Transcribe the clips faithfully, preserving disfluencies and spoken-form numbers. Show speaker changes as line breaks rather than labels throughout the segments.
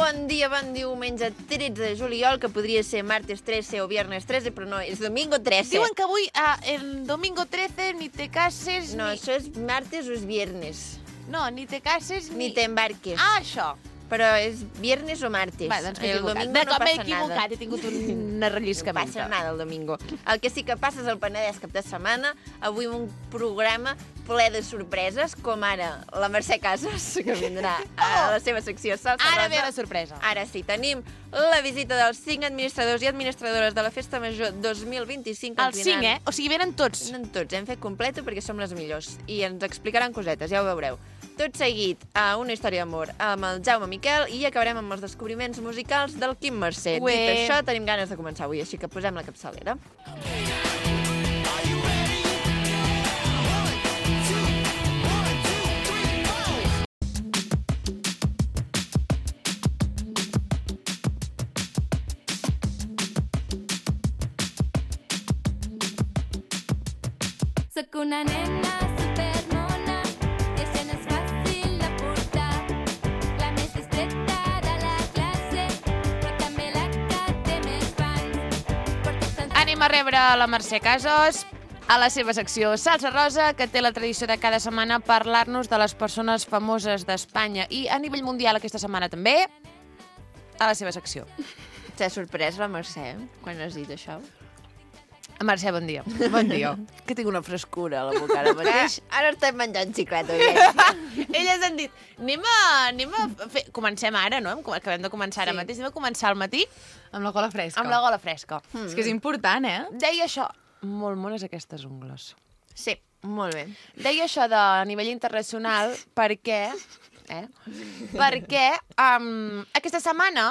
Bon dia, bon diumenge, tretze de juliol, que podria ser martes trece o viernes trece, però no, és domingo trece.
Diuen que avui, ah, el domingo trece, ni te cases,
No,
ni...
això és martes o és viernes.
No, ni te cases, ni...
Ni t'embarques.
Ah, això.
Però és viernes o martes.
Va, doncs m'he
el
equivocat.
domingo
De
no
com m'he
passa
equivocat,
nada.
he tingut un
No
relliscament.
passa nada el domingo. El que sí que passa és el Penedès cap de setmana. Avui un programa ple de sorpreses, com ara la Mercè Casas, que vindrà a la seva secció Salsa
Ara
Rosa.
ve la sorpresa.
Ara sí, tenim la visita dels cinc administradors i administradores de la Festa Major dos mil vint-i-cinc.
Els cinc, eh? O sigui, venen tots.
Venen tots, hem fet completo perquè som les millors. I ens explicaran cosetes, ja ho veureu. Tot seguit a una història d'amor amb el Jaume Miquel i acabarem amb els descobriments musicals del Quim Mercè.
Ué.
Dit això, tenim ganes de començar avui, així que posem la capçalera.
Soc una nena supermona i això no és fàcil de portar. La més discreta de la classe, però també la que té més fans. Porto tant...
Anem a rebre la Mercè Casas a la seva secció Salsa Rosa, que té la tradició de cada setmana parlar-nos de les persones famoses d'Espanya i a nivell mundial aquesta setmana també, a la seva secció.
T'ha sorprès la Mercè quan has dit això?
Mercè, bon dia.
Bon dia. Que tinc una frescura a la boca ara mateix. Ara estem menjant xiclet, oi?
Elles han dit, anem a, anem a fer... Comencem ara, no? Acabem de començar ara
Sí.
mateix. Anem a començar al matí
Amb la gola fresca.
amb la gola fresca.
És que és important, eh?
Deia això... Molt mones aquestes ungles.
Sí, molt bé.
Deia això de a nivell internacional perquè... Eh? Perquè um, aquesta setmana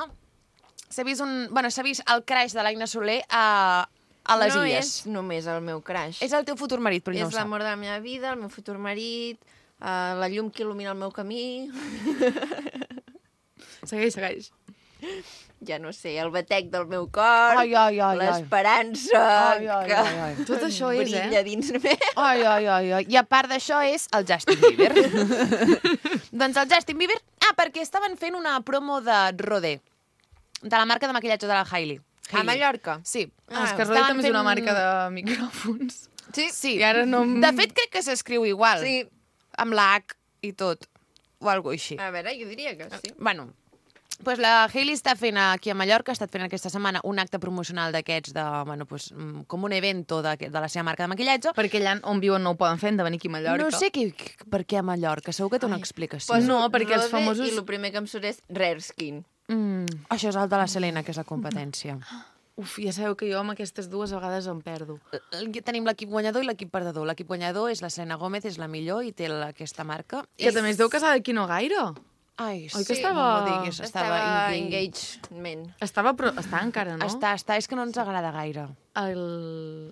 s'ha vist, un, bueno, s'ha vist el crash de l'Aina Soler a, a les
no
Illes.
és només el meu crash.
És el teu futur marit, però ell no
És
ho sap.
l'amor de la meva vida, el meu futur marit, uh, la llum que il·lumina el meu camí,
Segueix, segueix.
ja no sé, el batec del meu cor,
Ai, ai, ai, ai.
l'esperança
Ai, ai,
que
ai, ai.
Tot això és, eh?
brilla dins meu.
Ai, ai, ai, ai. I a part d'això és el Justin Bieber. Doncs el Justin Bieber... Ah, perquè estaven fent una promo de Rodé, de la marca de maquillatge de la Hailey.
A Mallorca?
Sí.
Ah, és que
estaven
Rodé també és una
fent-
marca de micròfons.
Sí.
Sí.
I ara no...
De fet, crec que s'escriu igual.
Sí.
Amb la H i tot. O alguna cosa així.
A veure, jo diria que sí.
Bueno, pues la Hailey està fent aquí a Mallorca, ha estat fent aquesta setmana un acte promocional d'aquests, de, bueno, pues, mm, com un evento de, de la seva marca de maquillatge.
Perquè allà on viuen no ho poden fer, han de venir aquí a Mallorca.
No sé qui, per què a Mallorca, segur que té una explicació.
Pues no, perquè els
Rode
famosos-
I el primer que em surt és Rare Skin.
Mm, això és el de la Selena, que és la competència.
Uf, ja sabeu que jo amb aquestes dues a vegades em perdo.
L- Tenim l'equip guanyador i l'equip perdedor. L'equip guanyador és la Selena Gómez, és la millor i té la, aquesta marca.
Que també es deu casar d'aquí no gaire.
Ai,
Oi que
sí,
estava-
no m'ho diguis,
Estava
estava...
engagement.
Estava, però està encara, no?
Està, està, és que no ens agrada gaire.
El...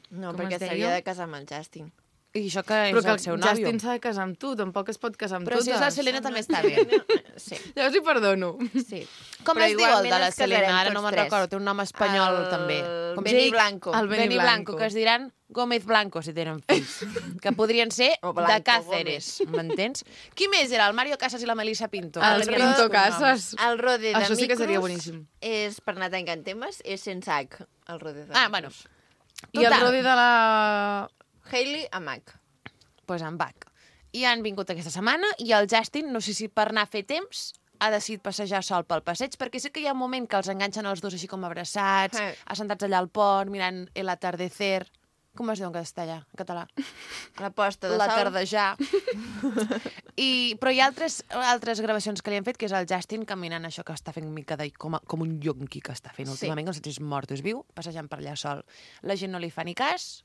No,
com
perquè
es deia?
s'havia de casar amb el Justin.
I això que
Però
és
que
el seu
el
nòvio.
Justin s'ha de casar amb tu, tampoc es pot casar amb
Però
totes.
si és la Selena també està bé.
Sí,
Llavors li perdono.
sí.
Com
Però
es diu el de
igualment
la
ens casarem
Selena? Ara
tots
no me'n
tres.
recordo, té un nom espanyol
El
també. Com
Benny
Jake-
Blanco.
El Benny
Benny Blanco,
Blanco.
que es diran Gómez Blanco, si tenen fills. Que podrien ser
O
de
Blanco
Cáceres, m'entens? Qui més era? El Mario Casas i la Melissa Pinto.
Els
Que
Pinto
tenien
Casas.
El rode de
Això sí que seria
micros
boníssim.
és, per anar tancant temes, és sense H, el rode de
Ah,
micros.
bueno.
I el
Total.
Rodi de la...
Hailey amb H.
Pues en Bach. I han vingut aquesta setmana i el Justin, no sé si per anar a fer temps, ha decidit passejar sol pel passeig, perquè sé que hi ha un moment que els enganxen els dos així com abraçats,
Sí.
assentats allà al pont, mirant el atardecer. Com es diu en castellà, en català?
La posta de
La
sol.
tardejar. I, però hi ha altres, altres gravacions que li han fet, que és el Justin caminant això que està fent mica de, com, a, com un yonqui que està fent
Sí.
últimament, que no sé si és mort o és viu, passejant per allà sol. La gent no li fa ni cas.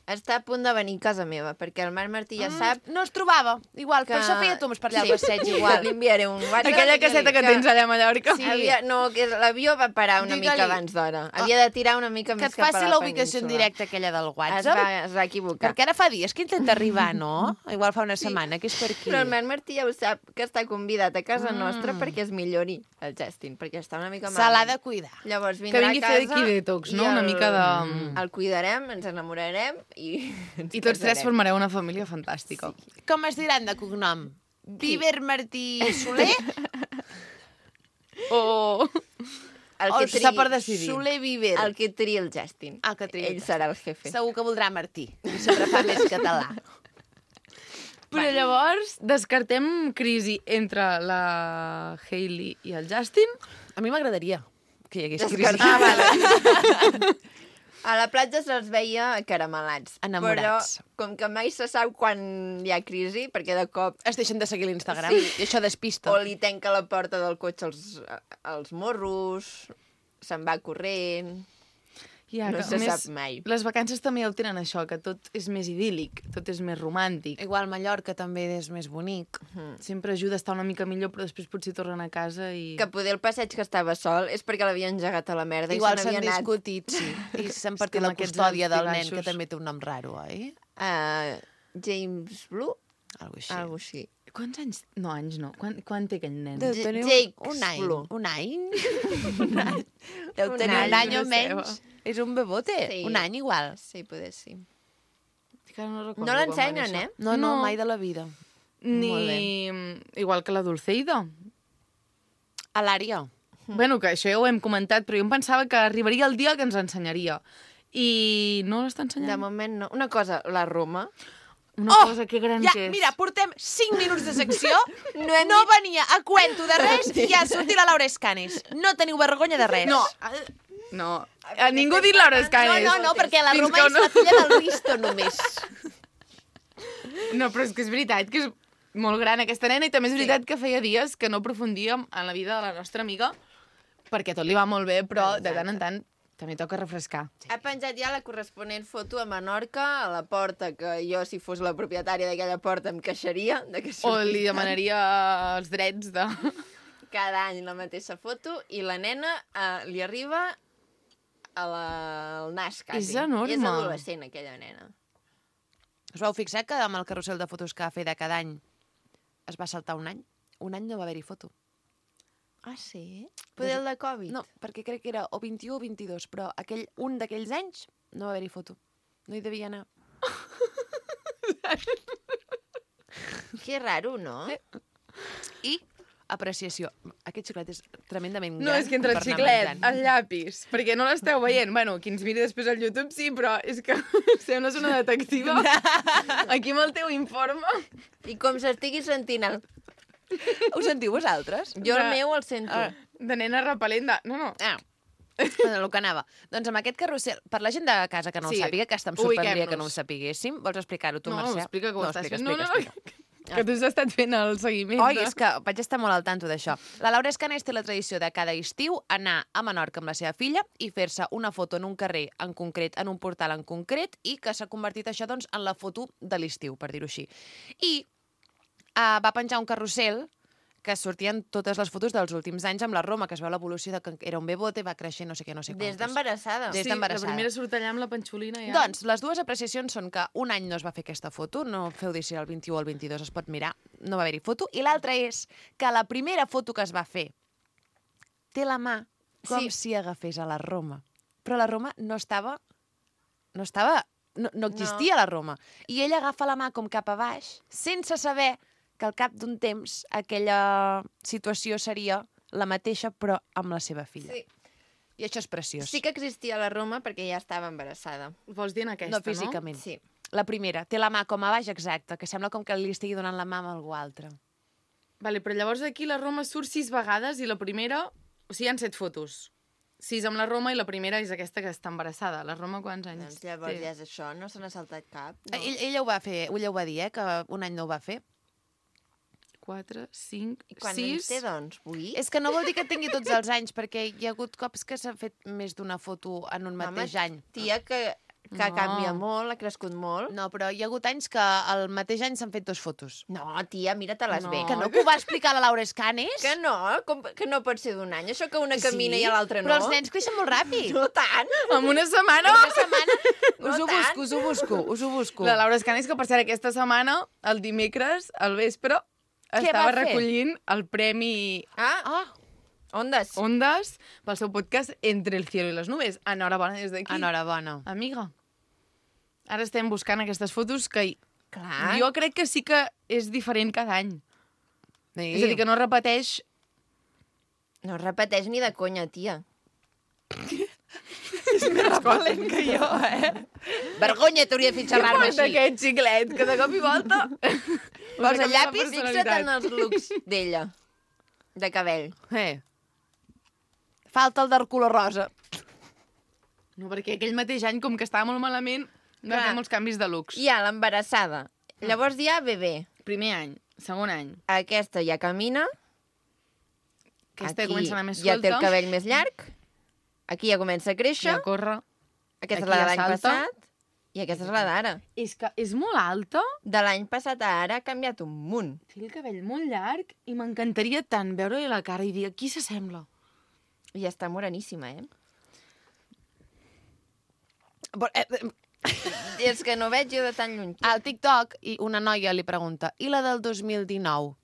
Està a punt de venir a casa meva, perquè el Marc Martí ja sap
No es trobava, igual,
que...
per això feia toms per allà al
Sí,
passeig,
Li
igual.
enviaré un WhatsApp.
Aquella
i
caseta que tens allà a Mallorca.
Sí. Havia, no, que l'avió va parar una
Digue-li.
mica abans d'hora. Havia de tirar una mica
Que
més
et
cap a
faci
la
la ubicació en
península.
directe aquella del
Es
WhatsApp.
va, es va equivocar.
Perquè ara fa dies que intenta arribar, no? Igual fa una setmana, que és per aquí.
Però el Marc Martí ja ho sap, que està convidat a casa
Mm.
nostra perquè es millori el Justin, perquè està una mica
Se l'ha
malament.
de cuidar.
Llavors
Que
vindrà
vingui
a
a fer
casa
d'aquí detox, no?
i
Una
el-
mica de...
El cuidarem, ens enamorarem i ens
I tots tres
casarem.
formareu una família fantàstica. Sí.
Com es diran de cognom? Bieber Martí Soler?
o...
El
O
que
està
triï-
per decidir?
Soler Viver.
El que triï el Justin.
El que triï el
Ell serà el jefe.
Segur que voldrà Martí. I sempre fa més català.
Però llavors descartem crisi entre la Hailey i el Justin.
A mi m'agradaria que hi hagués
Descartar.
crisi.
Ah, vale. A la platja se'ls veia caramelats.
Enamorats.
Però com que mai se sap quan hi ha crisi, perquè de cop
Es deixen de seguir l'Instagram.
Sí.
I això despista.
o li tanca la porta del cotxe als, als morros, se'n va corrent...
Ja,
No
que,
se
a
sap mai.
Les vacances també el tenen això, que tot és més idíl·lic, tot és més romàntic.
Igual Mallorca també és més bonic.
Sempre ajuda a estar una mica millor, però després potser tornen a casa i...
Que poder el passeig que estava sol és perquè l'havien engegat a la merda
Igual
i se
s'han
n'havia anat.
discutit, sí. I s'han
És
partit
que
la
amb aquests
custòdia
alts i
del nen,
baixos.
que també té un nom raro, oi?
Uh, James Blue?
Algo així.
Sí. Algo així.
Quants anys? No, anys no. Quan, quan té aquell nen?
Deu
J-
tenir
Jakes
un any.
Blue.
Un any? un any. Deu
Un
tenir un
any,
any o
no
menys. És un bebote.
Sí.
Un any igual.
Sí, poder sí.
Que ara no recordo
No
quan va
l'ensenyen,
néixer.
eh?
No, no, mai de la vida.
Ni...
Molt
Igual que la Dulceida.
A l'àrea.
Bueno, que això ja ho hem comentat, però jo em pensava que arribaria el dia que ens ensenyaria. I no l'està ensenyant.
De moment no. Una cosa, la Roma...
Una
Oh!
cosa que gran
Ja,
que és.
mira, portem cinc minuts de secció,
No hem
no
dit-
venia a cuento de res i ja ha sortit la Laura Escanes. No teniu vergonya de res.
No, eh, no. A ningú ha dit Laura
no,
Escanes.
no, no, perquè la
Fins
Roma
que
és
no-
la filla del Risto, només.
No, però és que és veritat que és molt gran aquesta nena i també és veritat que feia dies que no aprofundíem en la vida de la nostra amiga perquè tot li va molt bé, però de tant en tant també toca refrescar.
Ha penjat ja la corresponent foto a Menorca, a la porta, que jo, si fos la propietària d'aquella porta, em queixaria de que
O
sortís
li
tant.
demanaria els drets de...
Cada any la mateixa foto i la nena eh, li arriba a la, al nas, quasi.
És enorme.
I és adolescent, aquella nena.
Us vau fixar que amb el carrusel de fotos que va fer de cada any es va saltar un any? Un any no va haver-hi foto.
Ah, sí? Poder el de Covid?
No, perquè crec que era o vint-i-u o vint-i-dos, però aquell, un d'aquells anys no va haver-hi foto. No hi devia anar.
Que raro, no?
I apreciació. Aquest xiclet és tremendament gran.
No, és que entre el
per anar
xiclet,
menjant.
el llapis, perquè no l'esteu veient. Bueno, qui ens miri després al YouTube sí, però és que sembles una detectiva aquí amb el teu informe.
I com s'estigui sentint el...
Ho sentiu vosaltres?
Jo el
De-
meu el sento.
Ah.
De nena repel·lent de... No, no.
Ah. Bueno, el que anava. Doncs amb aquest carrusel, per la gent de casa que no
Sí,
ho sàpiga, que està em sorprendria
ubiquem-nos.
que no ho sapiguéssim, vols explicar-ho tu,
No,
Mercè?
explica que ho
no,
estàs
explica,
fent. No,
explica,
no,
explica.
Que tu has estat fent el seguiment.
Oi,
de-
és que vaig estar molt al tanto d'això. La Laura Escanes té la tradició de cada estiu anar a Menorca amb la seva filla i fer-se una foto en un carrer en concret, en un portal en concret, i que s'ha convertit això doncs, en la foto de l'estiu, per dir-ho així. I uh, va penjar un carrusel que sortien totes les fotos dels últims anys amb la Roma, que es veu l'evolució de que era un bebote, va creixer no sé què, no sé
Des
quantos.
d'embarassada.
Des
Sí,
d'embarassada.
la primera surt allà amb la panxolina ja.
Doncs les dues apreciacions són que un any no es va fer aquesta foto, no feu dir si el vint-i-u o el vint-i-dos es pot mirar, no va haver-hi foto, i l'altra és que la primera foto que es va fer té la mà com
Sí.
si agafés a la Roma. Però la Roma no estava... No estava... No, no existia no. la Roma. I ella agafa la mà com cap a baix, sense saber que al cap d'un temps aquella situació seria la mateixa, però amb la seva filla.
Sí.
I això és preciós.
Sí que existia la Roma perquè ja estava embarassada.
Vols dir en aquesta,
no físicament.
Sí.
La primera, té la mà com a baix, exacte, que sembla com que li estigui donant la mà a algú altre.
Vale, però llavors aquí la Roma surt sis vegades i la primera... O sigui, hi ha set fotos. Sis amb la Roma i la primera és aquesta que està embarassada. La Roma quants anys
Doncs llavors
té?
ja és això, no se n'ha saltat cap.
No. Ell, ella ho va fer, ella ho va dir, eh, que un any no ho va fer.
Quatre, cinc,
I quan
sis...
anys té, doncs? Vuit?
És que no vol dir que tingui tots els anys, perquè hi ha hagut cops que s'ha fet més d'una foto en un mateix
Home,
any.
Tia, que, que
No.
canvia molt, ha crescut molt.
No, però hi ha hagut anys que al mateix any s'han fet dues fotos.
No, tia, mira-te-les
No.
bé.
Que no, que ho va explicar la Laura Escanes?
Que no, com, que no pot ser d'un any. Això que una camina
Sí,
i l'altra no.
Però els nens creixen molt ràpid.
No tant.
En una setmana...
Una setmana...
No
us ho
tant.
busco, us ho busco, us ho busco.
La Laura Escanes, que per cert, aquesta setmana, el dimecres, al vespre,
Què
estava
va fer?
recollint el premi
Ah,
Ah,
ondes.
Ondas pel seu podcast Entre el cielo i les nubes. Enhorabona des d'aquí.
enhorabona.
Amiga. Ara estem buscant aquestes fotos que
Clar.
jo crec que sí que és diferent cada any.
Sí.
És a dir, que no repeteix
No es repeteix ni de conya, tia.
És més valent que jo, eh? Vergonya, t'hauria de fer xerrar-me
Porta
així.
aquest xiclet, que de cop i volta...
Posa
canviar la
llapis, fixa't
personalitat.
en els looks d'ella. De cabell.
Eh. Falta el del color rosa.
No, perquè aquell mateix any, com que estava molt malament, va
Clar.
fer molts canvis de looks.
Hi ha l'embarassada. Llavors hi ha bebè.
Primer any, segon any.
Aquesta ja camina.
Aquesta
Aquí
comença a anar més
ja té el
suelta.
cabell més llarg. Aquí ja comença a créixer.
Ja corre.
Aquesta és
aquí
la de
ja
l'any
salta.
passat. I aquesta és la d'ara.
És que és molt alta,
De l'any passat a ara ha canviat un munt.
té el cabell molt llarg i m'encantaria tant veure-li la cara i dir, qui s'assembla?
I està moreníssima, eh?
Però, eh, eh,
I és que no veig jo de tan lluny.
Al TikTok, i una noia li pregunta, i la del dos mil dinou?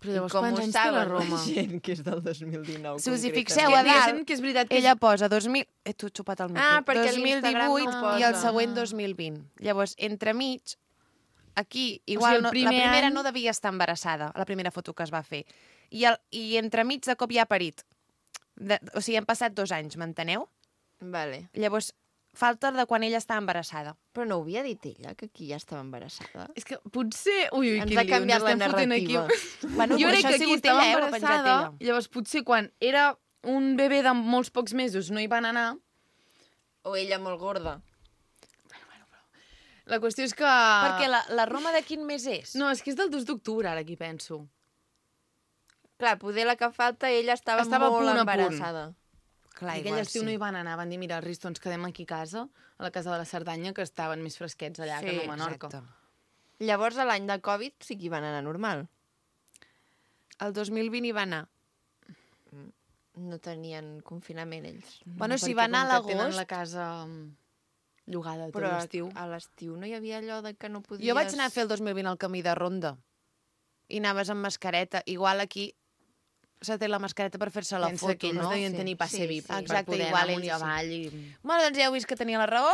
Però llavors,
I com
quants
ho
anys té la
saben
Roma?
gent que és del dos mil dinou?
Si us hi
concretament?
fixeu
Que
a dalt,
diguéssim que és veritat que
ella posa dos mil... Eh, tu has xupat el micro.
Ah, perquè
dos mil
l'Instagram no
divuit
ho
i el
posa.
següent dos mil vint. Llavors, entremig, aquí, igual,
el
no,
primer
la primera
any-
no devia estar embarassada, la primera foto que es va fer. I, el, i entremig, de cop ja ha parit. De, o sigui, han passat dos anys, m'enteneu?
Vale.
Llavors, falta de quan ella està embarassada.
Però no ho havia dit ella, que aquí ja estava embarassada?
És que potser... Ui, ui,
Ens
quin
ha
lío,
canviat
ens
la
estem fotent aquí.
narrativa.
Bueno,
Jo
però
crec
això
que
ha
aquí
sigut
estava
ella, eh, ho ha penjat
embarassada,
ella.
llavors potser quan era un bebè de molts pocs mesos no hi van anar.
O ella molt gorda?
La qüestió és que...
Perquè la, la Roma de quin mes és?
No, és que és del dos d'octubre, ara aquí penso.
Clar, poder la que falta, ella estava,
Estava a
molt
punt a punt.
embarassada.
Clar,
I aquell estiu no hi van anar, van dir, mira, Risto, ens quedem aquí a casa, a la casa de la Cerdanya, que estaven més fresquets allà
Sí,
que no a Menorca.
Exacte.
Llavors, a l'any de Covid sí que hi van anar normal.
El dos mil vint hi va anar.
No tenien confinament, ells.
Bueno, si
perquè
va anar a
com que tenen
l'agost...
la casa mm, llogada tot
Però
l'estiu.
a l'estiu no hi havia allò de que no podies...
Jo vaig anar a fer el dos mil vint al camí de ronda. I anaves amb mascareta. Igual aquí s'ha tret la mascareta per fer-se la
Pensa
foto,
que ells
no?
devien
Sí,
tenir passe
sí,
V I P
sí.
per
Exacte,
poder
igual
anar amunt i
ells sí.
avall. I...
Bueno, doncs ja heu vist que tenia la raó.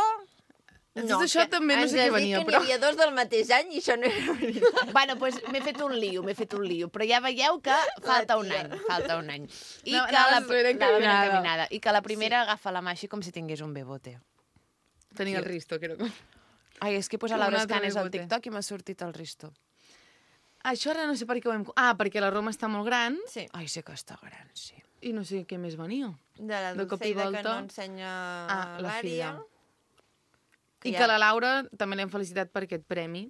Tot això
que
també no
ens
sé què
has dit
venia,
que
però...
n'hi havia dos del mateix any i això no era veritat.
Bueno, doncs m'he fet un lío, m'he fet un lío. Però ja veieu que falta un
tia.
any, falta un any. I
No,
que
anaves
la,
ben
anava ben
encaminada.
encaminada. I que la primera agafa la mà així com si tingués un bebote.
Tenia el Risto, que era com...
Ai, és que he posat
Com un
Laura
altre
Escanes al
bebote.
TikTok i m'ha sortit el Risto.
Això ara no sé per què ho hem... Ah, perquè la Roma està molt gran
Sí.
Ai, sé que està gran, sí.
i no sé què més venia.
De la
De cop i
Dulceida que
volta.
no ensenya
Ah, la
l'àrea.
I
Ja.
que la Laura també l'hem felicitat per aquest premi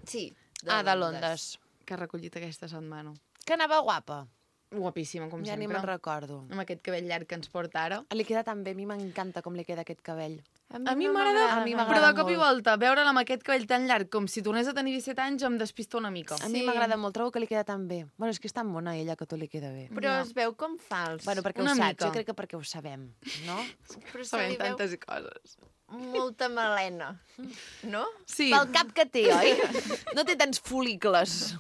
Sí.
Ah, de Londres.
que ha recollit aquesta setmana.
Que anava guapa.
Guapíssima, com
Ja ni
sempre.
me'n recordo.
Amb aquest cabell llarg que ens porta ara.
Li queda tan bé, a mi m'encanta com li queda aquest cabell.
A mi
no
m'agrada,
A mi
però
m'agrada
de cop i
molt.
volta, veure'la amb aquest cabell tan llarg com si tornés a tenir disset anys em despista una mica.
A mi
Sí.
m'agrada molt, trobo que li queda tan bé. Bueno, és que és tan mona ella que tot li queda bé.
Però
Ja.
es veu com fals.
Bueno, perquè
Una
ho saps,
mica.
jo crec que perquè ho sabem, no?
però se
Sabem
li veu
tantes coses.
molta melena, no?
Sí,
Pel cap que té, oi? No té tants folícules.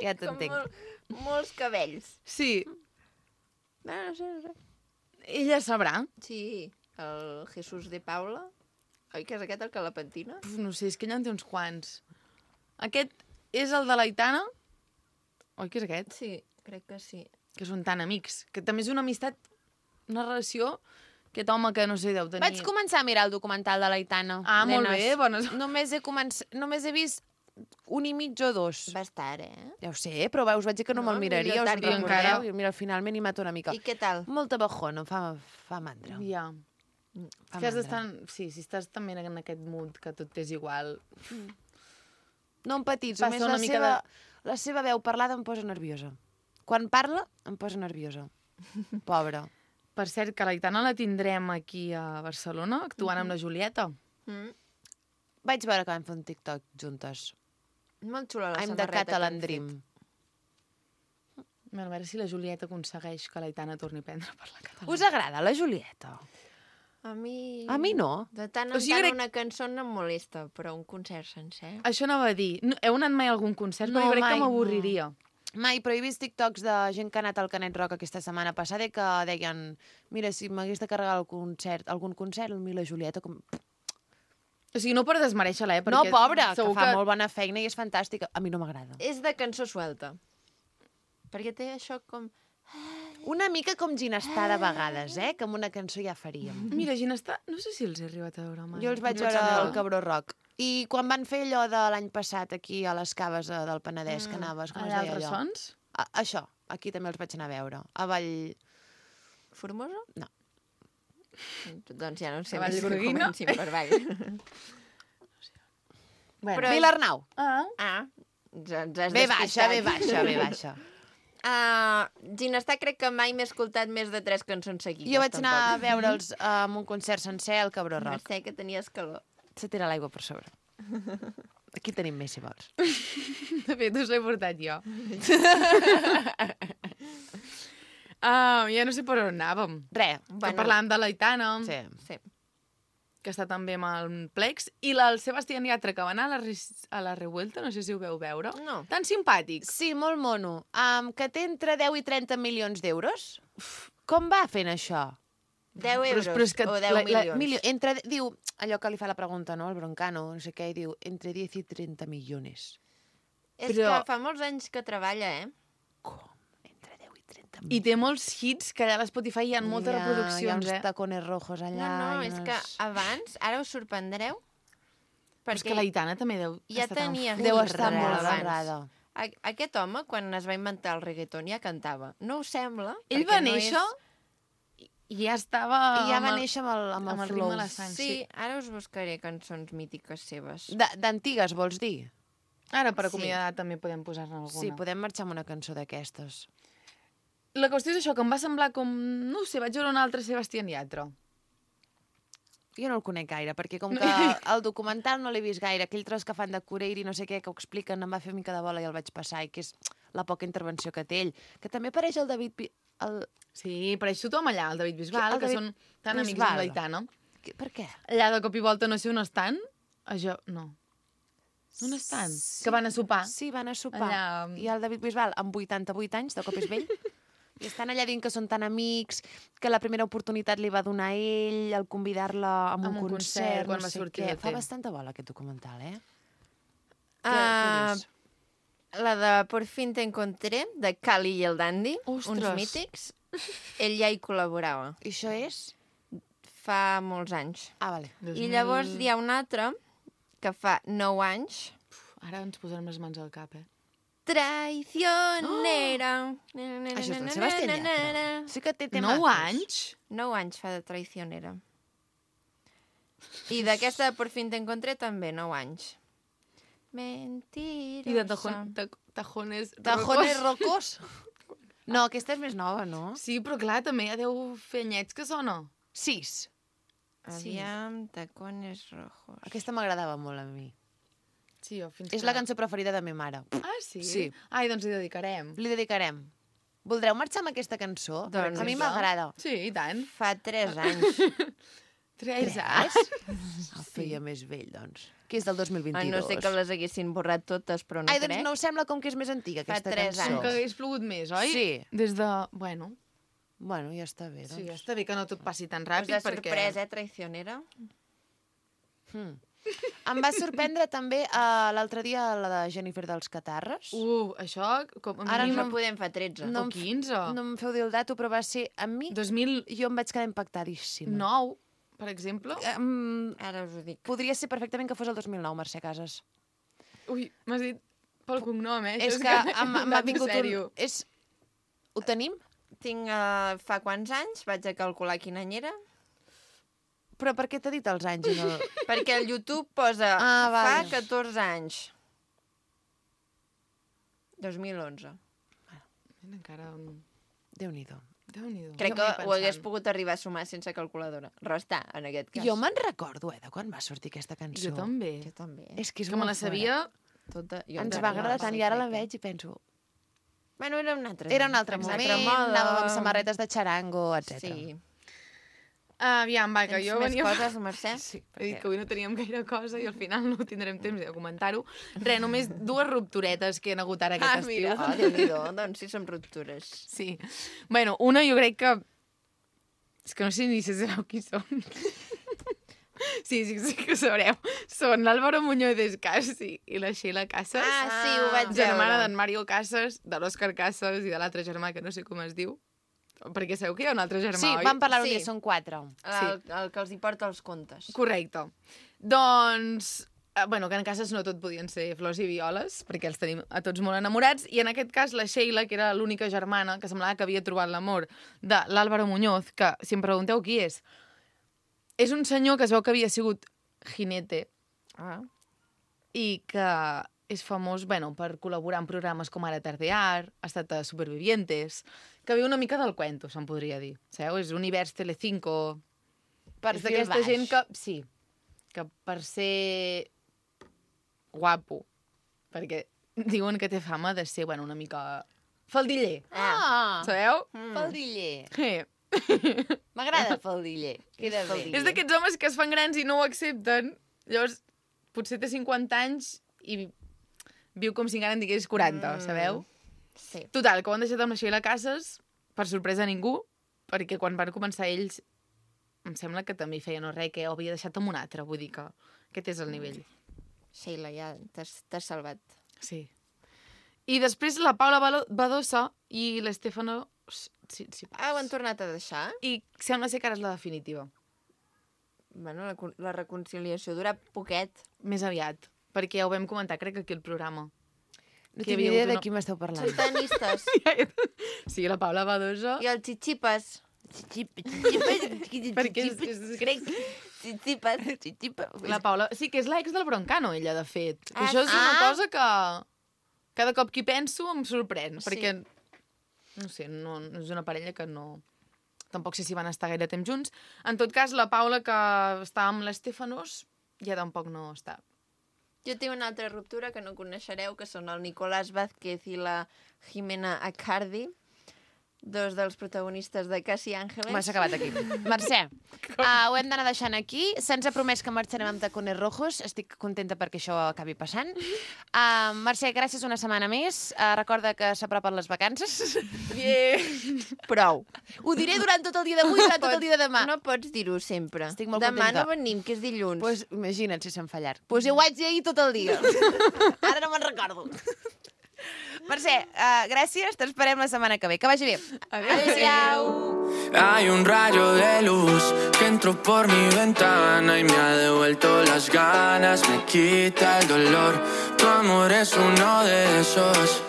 Ja
Com
t'entenc.
mol, molts cabells.
sí.
No, no sé, no sé.
Ella sabrà.
Sí, el Jesús de Paula. Oi que és aquest el que la pentina?
Puf, no sé, és que ella en té uns quants. Aquest és el de l'Aitana? Oi que és aquest?
Sí, crec que sí.
Que són tan amics. Que també és una amistat, una relació, aquest home que no sé, deu tenir...
Vaig començar a mirar el documental de l'Aitana.
Ah, molt
nenes.
bé, bones...
Només he, començ... Només he vist un i mig o dos.
Va estar, eh?
Ja ho sé, però us vaig dir que no,
No,
me'l miraria,
millor
us
tard
en
que
recordeu?
encara.
I mira, finalment hi mato una mica.
I què tal?
Molta bajona, em fa, fa mandra.
Ja.
Fa
Que has
mandra.
d'estar... Sí, si estàs també en aquest mood que tot és igual...
No em petits,
Passa
només
una
la
mica
seva, la seva veu parlada em posa nerviosa. Quan parla, em posa nerviosa. Pobra.
Per cert, que l'Aitana la tindrem aquí a Barcelona, actuant amb la Julieta.
Mm.
Vaig veure que vam fer un TikTok juntes.
Molt xula la
I'm the
samarreta
Catalan
que han
Dream.
fet.
A veure si la Julieta aconsegueix que l'Aitana torni a prendre per la catalana.
Us agrada la Julieta?
A mi...
A mi no.
De tant
O
en
sigui,
tant
crec-
una cançó no em molesta, però un concert sencer...
Això anava a dir. No, heu anat mai a algun concert?
No,
Perquè crec
mai,
que m'avorriria.
Mai, però he vist TikToks de gent que ha anat al Canet Rock aquesta setmana passada i que deien mira, si m'hagués de carregar el concert, algun concert, a mi la Julieta... Com...
O sigui, no per desmereixer-la, eh?
No,
Perquè
pobra, que
segur
fa molt bona feina i és fantàstica. A mi no m'agrada.
És de cançó suelta. Perquè té això com...
Una mica com Ginestar de vegades, eh? Que amb una cançó ja faríem.
Mira, Ginestar, no sé si els he arribat a veure mai.
Jo els vaig veure al Cabró Rock. I quan van fer allò de l'any passat aquí a les caves eh, del Penedès, que anaves, com es
Allà
deia
als
allò?
ressons?
A, això, aquí també els vaig anar a veure. A Vall...
Formosa?
No.
Doncs ja no sé
A
més que
Vallgorguina?
comencin per Vall.
Bueno.
Però-
Vilarnau.
Ah,
Ah, ens, ens has
Ve baixa,
despistat.
ve baixa, ve baixa.
Uh, Ginestar crec que mai m'he escoltat més de tres cançons seguides.
Jo vaig anar a
tampoc.
veure'ls uh, amb un concert sencer al Cabró Rock.
Mercè, que tenies calor.
Se tira l'aigua per sobre. Aquí tenim més, si vols.
de fet, us l'he portat jo. Ah, ja no sé per on anàvem.
Re.
Bueno. Que parlàvem de l'Aitana,
Sí.
Sí.
que està també amb el Plex, i la- el Sebastián Yatra, que va anar a la, Ris- a la Revuelta, no sé si ho veu veure.
No.
Tan simpàtic.
Sí, molt mono. Um, que té entre deu i trenta milions d'euros. Com va fent això?
deu
Però-
euros
però és que
o deu
la- la-
milions.
Milio, entre, diu, allò que li fa la pregunta, no? El broncano, no sé què, i diu, entre diez i trenta milions.
És
Però-
que fa molts anys que treballa, eh?
Com? Entre deu i trenta
I
milions.
té molts hits, que allà a l'Spotify hi ha moltes
Hi ha
reproduccions,
uns
eh?
tacones rojos allà.
No, no,
i
és
unes-
que abans, ara us sorprendreu,
Però és que l'Aitana també deu
ja
estar tan
tenia
full.
Deu
hits
estar molt
abans.
barrada.
A- Aquest home, quan es va inventar el reggaeton, ja cantava. No us sembla?
Ell
Perquè
va
no
néixer
és...
i ja estava...
I ja va
amb el-
néixer amb el, amb el,
amb el
flow.
ritme a la sang.
Sí, ara us buscaré cançons mítiques seves.
De- D'antigues, vols dir?
Ara, per
Sí.
acomiadar, també podem posar-ne alguna.
Sí, podem marxar amb una cançó d'aquestes.
La qüestió és això, que em va semblar com... No ho sé, vaig veure un altre Sebastián Yatra.
Jo no el conec gaire, perquè com que el documental no l'he vist gaire, aquell tros que fan de Cureiri, no sé què, que ho expliquen, em va fer mica de bola i el vaig passar, i que és la poca intervenció que té ell. Que també apareix el David... Bi- El...
Sí, apareix tothom allà, el David Bisbal,
El
que
David
són tan amics
Bisbal.
amb l'Aitana.
Que- Per què?
Allà de cop i volta no sé on estan. Això, no. On estan?
Sí.
Que van a sopar.
Sí, van a sopar.
Allà-
I el David Bisbal, amb vuitanta-vuit anys, de cop és vell, i estan allà dient que són tan amics, que la primera oportunitat li va donar ell, al convidar-la a un,
Amb un
concert,
concert, quan
no
va
sé
sortir
què.
de
Fa
T.
bastanta bola, aquest documental, eh?
Ah,
dius?
la de Por fin te encontré, de Cali i el Dandy,
Ostres.
uns mítics. Ell ja hi col·laborava
I això és?
fa molts anys.
Ah, vale.
I llavors hi ha un altre que fa nou anys.
Ara ens posarem les mans al cap, eh?
Traicionera. Oh!
Això és del Sebastián Yatra. Sí que té temazos.
Nou anys?
Nou anys fa de traicionera. I d'aquesta de Por fin te encontré també, nou anys. Mentirosa.
I de tajon, ta, tajones...
Tajones
rocos?
rocos? No, aquesta és més nova, no?
Sí, però clar, també ja deu fer anyets que sona.
Sis.
Aviam, tacones rojos.
Aquesta m'agradava molt a mi.
Sí, jo fins
És
que...
la cançó preferida de ma mare.
Ah, sí?
Sí.
Ai, doncs hi dedicarem.
Li dedicarem. Voldreu marxar amb aquesta cançó?
Doncs
a mi
sí.
m'agrada.
Sí, i tant.
Fa tres anys.
Tres anys?
El feia més vell, doncs. Que és del dos mil
Ah,
vint-i-dos.
no sé que les haguessin borrat totes, però no
Ai, doncs
crec.
no us sembla com que és més antiga,
Fa
aquesta
tres
cançó?
anys.
Com que hagués plogut més, oi?
Sí.
Des de... Bueno,
Bueno, ja està bé, doncs.
sí, està bé que no tot passi tan
Us
ràpid,
ha
perquè...
sorprès, eh, traicionera?
Hmm. Em va sorprendre també uh, l'altre dia la de Jennifer dels Catarres.
Uh, això, com a
Ara
mínim...
No podem fa tretze.
No
o
em f-
quinze.
No em feu dir el dato, però va ser... A mi,
dos mil
jo em vaig quedar impactadíssima.
nou, per exemple.
Um,
Ara us ho dic.
podria ser perfectament que fos el dos mil nou, Mercè Casas.
Ui, m'has dit pel cognom, eh?
És
Això
que em- m'ha
anat en
vingut un...
sèrio.
És... Ho tenim?
Tinc uh, fa quants anys, vaig a calcular quin any era,
Però per què t'ha dit els anys? i No...
perquè el YouTube posa
Ah,
fa
vale.
catorze anys. dos mil onze.
Mira, encara... un-
Déu-n'hi-do.
Déu-n'hi-do.
Crec
Jo
que
m'hi
ho hagués
pensant.
pogut arribar a sumar sense calculadora. Restar, en aquest cas.
Jo me'n recordo, eh, de quan va sortir aquesta cançó.
Jo també.
Jo també.
És que és
que me
molt
la sabia...
Tota... Jo
Ens
encara
va
no
agradar
la
tant
sé,
i ara la
crec que-
veig i penso...
Bueno, era un altre
Era un altre
Exacte.
moment,
moda.
anàvem amb samarretes de xarango, etcètera.
Sí.
Ah, aviam, va, que
Tens
jo
més
venia...
coses, Mercè?
Sí, he dit que avui no teníem gaire cosa i al final no tindrem temps de comentar-ho. Re, només dues rupturetes que han hagut ara aquest
Ah,
estiu.
mira. Oh, Déu-n'hi-do, doncs sí, som ruptures.
Sí. Bueno, una jo crec que... És que no sé ni si sabeu qui són. Sí, sí, sí que ho sabreu. Són l'Álvaro Muñoz Descasi i la Sheila Casas.
Ah, sí, ho vaig
Germana
veure.
d'en Mario Casas, de l'Òscar Casas i de l'altre germà que no sé com es diu. perquè sabeu que hi ha un altre germà,
Sí,
oi?
vam parlar un
Sí.
dia, són quatre.
El, el que els hi porta els contes.
Correcte. Doncs, eh, bueno, que en cases no tot podien ser flors i violes, perquè els tenim a tots molt enamorats, i en aquest cas la Sheila, que era l'única germana que semblava que havia trobat l'amor de l'Álvaro Muñoz, que, si em pregunteu qui és, és un senyor que es veu que havia sigut jinete
Ah.
i que és famós, bueno, per col·laborar en programes com ara Tardear, ha estat a Supervivientes, que viu una mica del cuento, se'n podria dir. Sabeu? És univers Telecinco.
Per
és
fi el
d'aquesta
baix.
gent que... Sí, que per ser guapo, perquè diuen que té fama de ser, bueno, una mica faldiller,
Ah,
sabeu?
faldiller.
Sí.
M'agrada faldiller. Queda bé.
És d'aquests homes que es fan grans i no ho accepten. Llavors, potser té cinquanta anys i viu com si encara en digués quaranta,
Mm.
sabeu?
Sí.
Total, que ho han deixat amb la Sheila Casas, per sorpresa de ningú, perquè quan van començar ells, em sembla que també hi feia no res, que ho havia deixat amb un altre, vull dir que aquest és el nivell.
Sheila, ja t'has t'has salvat.
Sí. I després la Paula Balo- Badosa i l'Estefano... Sí, sí.
Ah, ho han tornat a deixar?
I sembla ser que ara és la definitiva.
Bueno, la, con- la reconciliació dura poquet.
Més aviat. Perquè ja ho vam comentar, crec que aquí al programa.
No
que hi
tinc ni
havia
idea
hagut
de
una-
qui m'esteu parlant.
Són tenistes.
Sí, la Paula Badosa...
I els xixipes.
Perquè és, és grec.
Xixipes.
La Paula... Sí, que és l'ex del Broncano, ella, de fet. I
Ah,
això és una
ah.
cosa que cada cop que hi penso em sorprèn,
Sí.
perquè, no sé, no, no és una parella que no... Tampoc sé si van estar gaire temps junts. En tot cas, la Paula, que està amb l'Estefanos, ja tampoc no està.
Jo tinc una altra ruptura que no coneixereu, que són el Nicolás Vázquez i la Jimena Acardi, dos dels protagonistes de Casi Ángeles.
M'has acabat aquí. Mercè, uh, ho hem d'anar deixant aquí. Se'ns ha promès que marxarem amb tacones rojos. Estic contenta perquè això acabi passant. Uh, Mercè, gràcies una setmana més. Uh, recorda que s'apropen les vacances.
Yeah.
Prou.
Ho diré durant tot el dia d'avui i durant tot el dia de demà.
No pots dir-ho sempre.
Estic molt
Demà
contenta.
no venim, que és dilluns.
Pues imagina't si se'm fallar. Pues jo ho haig de dir tot el dia. Ara no me'n recordo. Mercè, uh, gràcies. T'esperem la setmana que ve. Que vagi bé. Adéu-siau.
Hay un rayo de luz que entró por mi ventana y me ha devuelto las ganas, me quita el dolor. Tu amor es uno de esos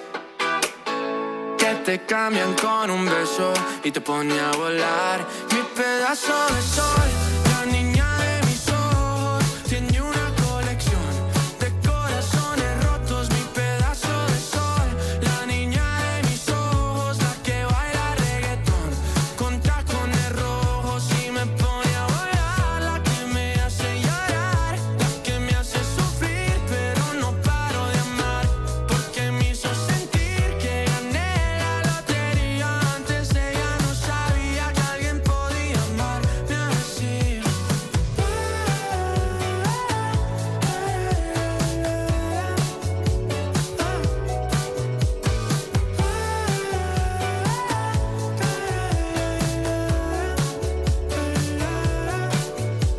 que te cambian con un beso y te pone a volar. Mi pedazo de sol, la niña de mis ojos, tiene una colección de corazones rotos. Mi pedazo de sol, la niña de mis ojos, la que baila reggaetón con tacones rojos y me pone a volar. La que me hace llorar, la que me hace sufrir, pero no paro de amar, porque me hizo sentir que gané la lotería. Antes ella no sabía que alguien podía amarme así.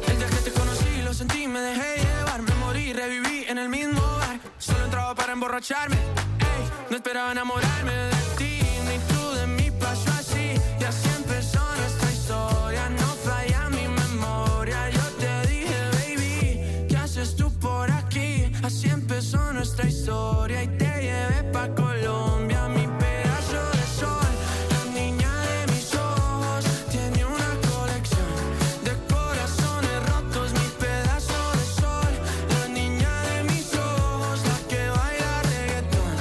El día que te conocí lo sentí, me dejé llevar, me morí, reviví en el mismo bar. Solo entraba para emborracharme, ey, no esperaba enamorarme de ti, ni tú de mí, pasó así. Y así empezó nuestra historia, no falla mi memoria. Yo te dije, baby, ¿qué haces tú por aquí? Así empezó nuestra historia y te llevé pa' Colombia. Mi pedazo de sol, la niña de mis ojos, tiene una colección de corazones rotos. Mi pedazo de sol, la niña de mis ojos, la que baila reggaetón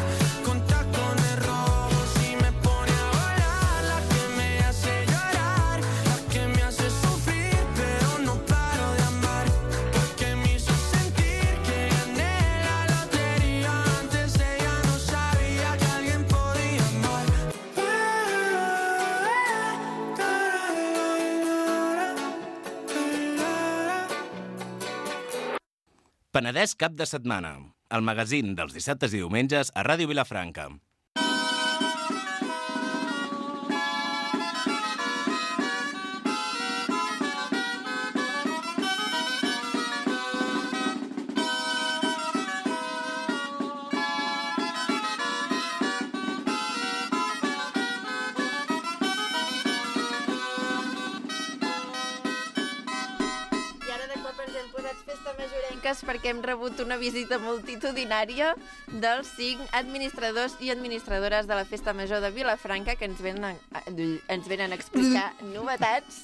con tacones rojos y me pone a volar. La que me hace llorar, la que me hace sufrir, pero no paro de amar, porque me hizo sentir que gané la lotería. Antes ella no sabía que alguien podía amar.
Penedès cap de setmana. El magazín dels dissabtes i diumenges a Ràdio Vilafranca.
fresques perquè hem rebut una visita multitudinària dels cinc administradors i administradores de la Festa Major de Vilafranca que ens venen a, ens venen a explicar novetats,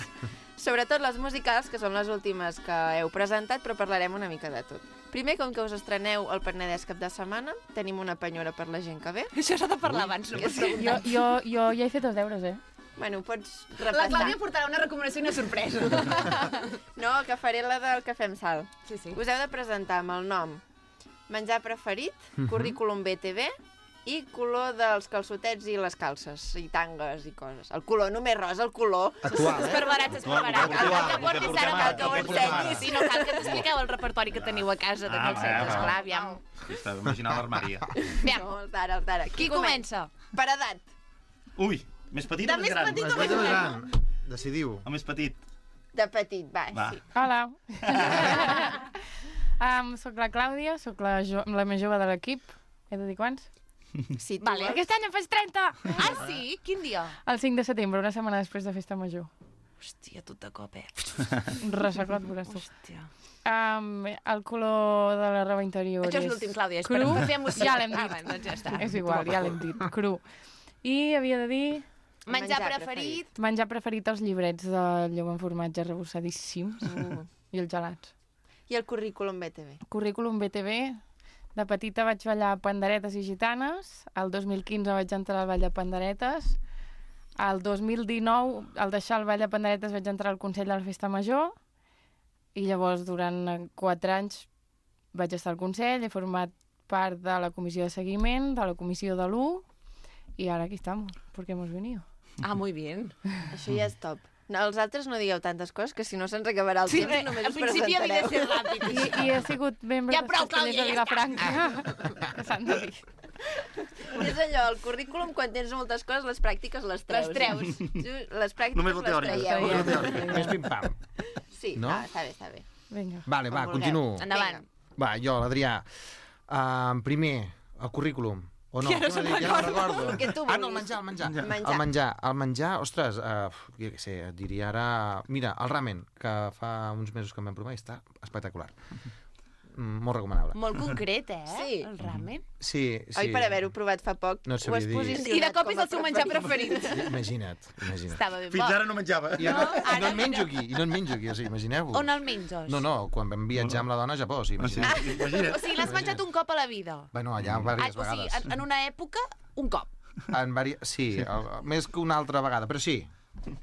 sobretot les musicals, que són les últimes que heu presentat, però parlarem una mica de tot. Primer, com que us estreneu el Penedès cap de setmana, tenim una penyora per la gent que ve.
Això s'ha de parlar abans, no pots
Jo,
preguntar.
jo, jo ja he fet els deures, eh?
Bueno, pots
La
repassar.
Clàudia portarà una recomanació i una sorpresa.
No, que faré la del Cafè amb Sal.
Sí, sí.
Us heu de presentar amb el nom, menjar preferit, currículum B T V i color dels calçotets i les calces, i tangues i coses. El color, només rosa, el color.
Actual, eh?
Esparverats, esparverats.
Actual,
El que
el que
portis
portem
ara
ara,
cal que ho
el que portem
ensenyis.
ara.
Sí, no cal que t'expliqueu el repertori que teniu a casa de
Ah,
calcetes.
va, va.
Clar, aviam.
Estava imaginant l'armari.
Aviam,
No, els d'ara, els d'ara.
qui comença?
Per edat.
Ui, més petit
De
o més
més
gran?
petit
Més petit o més gran? Decidiu.
O més petit?
De petit, va,
Va.
sí.
Hola. um, soc la Clàudia, soc la, jo, la més jove de l'equip. He de dir quants?
Sí, tu
Vale.
vols.
Aquest any en faig trenta!
Ah, sí? Quin dia?
El cinc de setembre, una setmana després de Festa Major.
Hòstia, tot de cop, eh?
Ressecot, veuràs tu.
Hòstia.
Um, el color de la roba interior
Això és l'últim, Clàudia. És
cru.
per, per fer emoció.
Ja l'hem dit.
Ah, bueno, doncs ja està.
És igual, ja l'hem dit, cru. I havia de dir
Menjar,
Menjar
preferit.
menjar preferit els llibrets de lleu amb formatge rebossadíssims
Mm.
i els gelats.
I el currículum B T V.
Currículum B T V. De petita vaig ballar panderetes i gitanes. El dos mil quinze vaig entrar al ball de panderetes. El dos mil dinou, al deixar el ball de panderetes, vaig entrar al Consell de la Festa Major. I llavors, durant quatre anys, vaig estar al Consell, he format part de la comissió de seguiment, de la comissió de l'U, i ara aquí estamos, porque hemos venido.
Ah, muy bien.
Això ja és top. No, els altres no digueu tantes coses, que si no se'ns acabarà el
Sí,
temps i només
al
us
principi havia de
presentareu.
ser ràpid.
I, i he sigut membre
Ja
dels
prou,
castellers
Clàudia,
de
ja
Vilafranca, que s'han de dir.
És allò, el currículum, quan tens moltes coses, les pràctiques les treus.
Les treus.
Tu, les pràctiques
Només la
les
teòrica.
traieu.
Només la teòrica. Més pim-pam.
Sí,
No?
ah, està bé, està bé.
Vinga.
Vale, va,
Com vulgueu.
continuo.
Endavant.
Va, jo, l'Adrià. Uh, primer, el currículum. O no?
Ja no
Què
se'n
m'ha dit? Ja no recordo.
El que tu
Ah, no, el
vulguis.
menjar, el menjar.
Menjar.
El menjar, el menjar, ostres, uh, jo què sé, et diria ara... Mira, el ramen, que fa uns mesos que em vam provar i està espectacular. Mm, molt recomanable.
Molt concret, eh?
Sí.
El ramen.
Sí, sí.
Oi, per haver-ho provat fa poc,
No et
ho
sabria
has
dir.
posicionat
I de cop
com
és
a
el seu menjar preferit.
Imagina't, imagina't.
Estava ben
Fins
bo.
ara no menjava.
I, no, i
ara
no en menjo
ja-
aquí, i no en menjo aquí, o sigui, imagineu-vos.
On el menges?
No, no, quan vam viatjar amb la dona a Japó, o sigui,
Ah, sí,
imagineu.
imagina't.
O sigui, l'has menjat un cop a la vida.
Bueno, allà
Ah,
diverses
o sigui,
vegades.
en, en una època, un cop.
En vari... Sí, el, més que una altra vegada, però sí.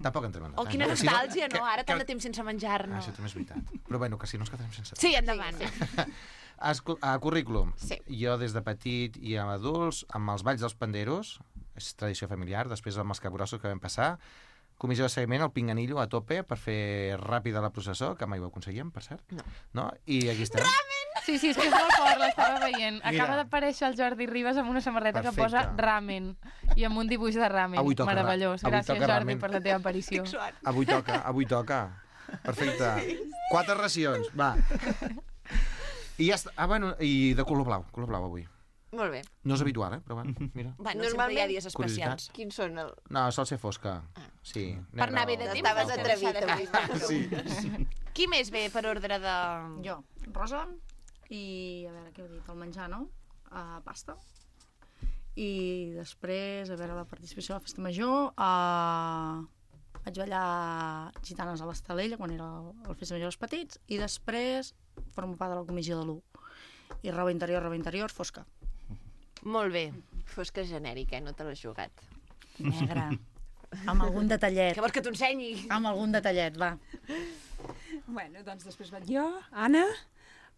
Tampoc entrem en
Oh,
detall,
quina
perquè si
nostàlgia, no?
que-
Ara tant
que-
de temps sense
Ah,
menjar-ne.
això també és veritat. Però bueno, que si no ens quedarem sense...
Sí, endavant.
Escu- A currículum.
Sí.
Jo des de petit i amb adults, amb els balls dels panderos, és tradició familiar, després amb els capgrossos que vam passar, comissió de seguiment, el pinganillo a tope per fer ràpida la processó, que mai ho aconseguíem, per cert.
No.
No? I aquí estem.
Sí, sí, és que és molt fort, l'estava veient.
Mira.
Acaba d'aparèixer el Jordi Ribas amb una samarreta
Perfecte.
que posa ramen i amb un dibuix de ramen.
Avui toca ra-
Meravellós.
avui
Gràcies,
toca
Jordi,
ramen.
per la teva aparició.
Avui toca, avui toca. Perfecte. Quatre racions, va. I ja està. Ah, bueno, i de color blau, color blau avui.
Molt bé.
No és habitual, eh? Però bueno, mira.
Bueno, sempre hi ha
Normalment-
dies especials.
Quins són el...
No, sol ser fosca. Sí.
Per anar bé de
o-
temps.
Estaves
no?
atrevit
Deixar de
avui.
fer.
Sí.
Qui més ve per ordre de...
Jo, rosa, i a veure què heu dit, el menjar, no? Uh, pasta. I després, a veure, la participació a la Festa Major, uh, vaig ballar gitanes a l'Estalella quan era el, el Festa Major dels petits, i després formo part de la comissió de l'U. I roba interior, roba interior, fosca.
Molt bé.
Fosca genèrica, eh? No te l'has jugat.
Negra. Amb algun detallet.
Que vols que t'ho ensenyi?
Amb algun detallet, va.
Bueno, doncs després vaig jo, Anna,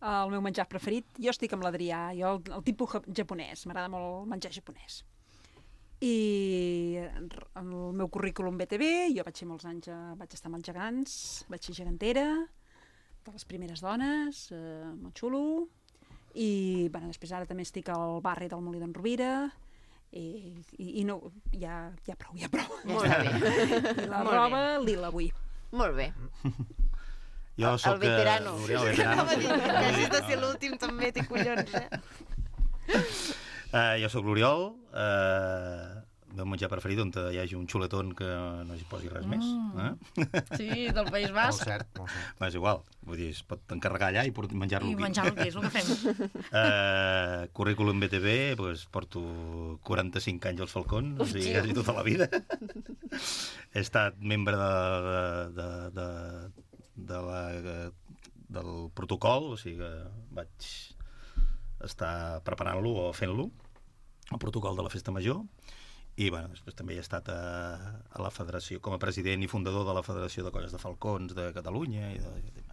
el meu menjar preferit. Jo estic amb l'Adrià, jo el, el tipus ja- japonès, m'agrada molt el menjar japonès. I el meu currículum B T V, jo vaig ser molts anys, eh, vaig estar amb els gegants, vaig ser gegantera, de les primeres dones, eh, molt xulo, i bueno, després ara també estic al barri del Molí d'en Rovira, i, i, i no, ja, ja prou, ja prou.
Molt bé.
I la
Molt
roba lila avui.
Molt bé.
Jo
El-
soc...
el veterano.
Eh, Oriol, veterano.
Anava a dir que
Sí.
hagis de ser l'últim també, té collons, eh?
Uh, jo sóc l'Oriol, uh, meu menjar preferit on hi hagi un xuletón que no hi posi res més.
Mm.
Eh?
Sí, del País
Molt
Basc.
cert, molt cert.
Però és igual, vull dir, es pot encarregar allà i port- menjar-lo
I
aquí.
menjar-lo aquí, és el que fem.
Uh, currículum B T V, pues, porto quaranta-cinc anys als Falcons, o sigui, quasi tota la vida. He estat membre de, de, de, de, de la, del protocol, o sigui que vaig estar preparant-lo o fent-lo, el protocol de la Festa Major, i bueno, després també he estat a, a la federació, com a president i fundador de la Federació de Colles de Falcons de Catalunya, i, de,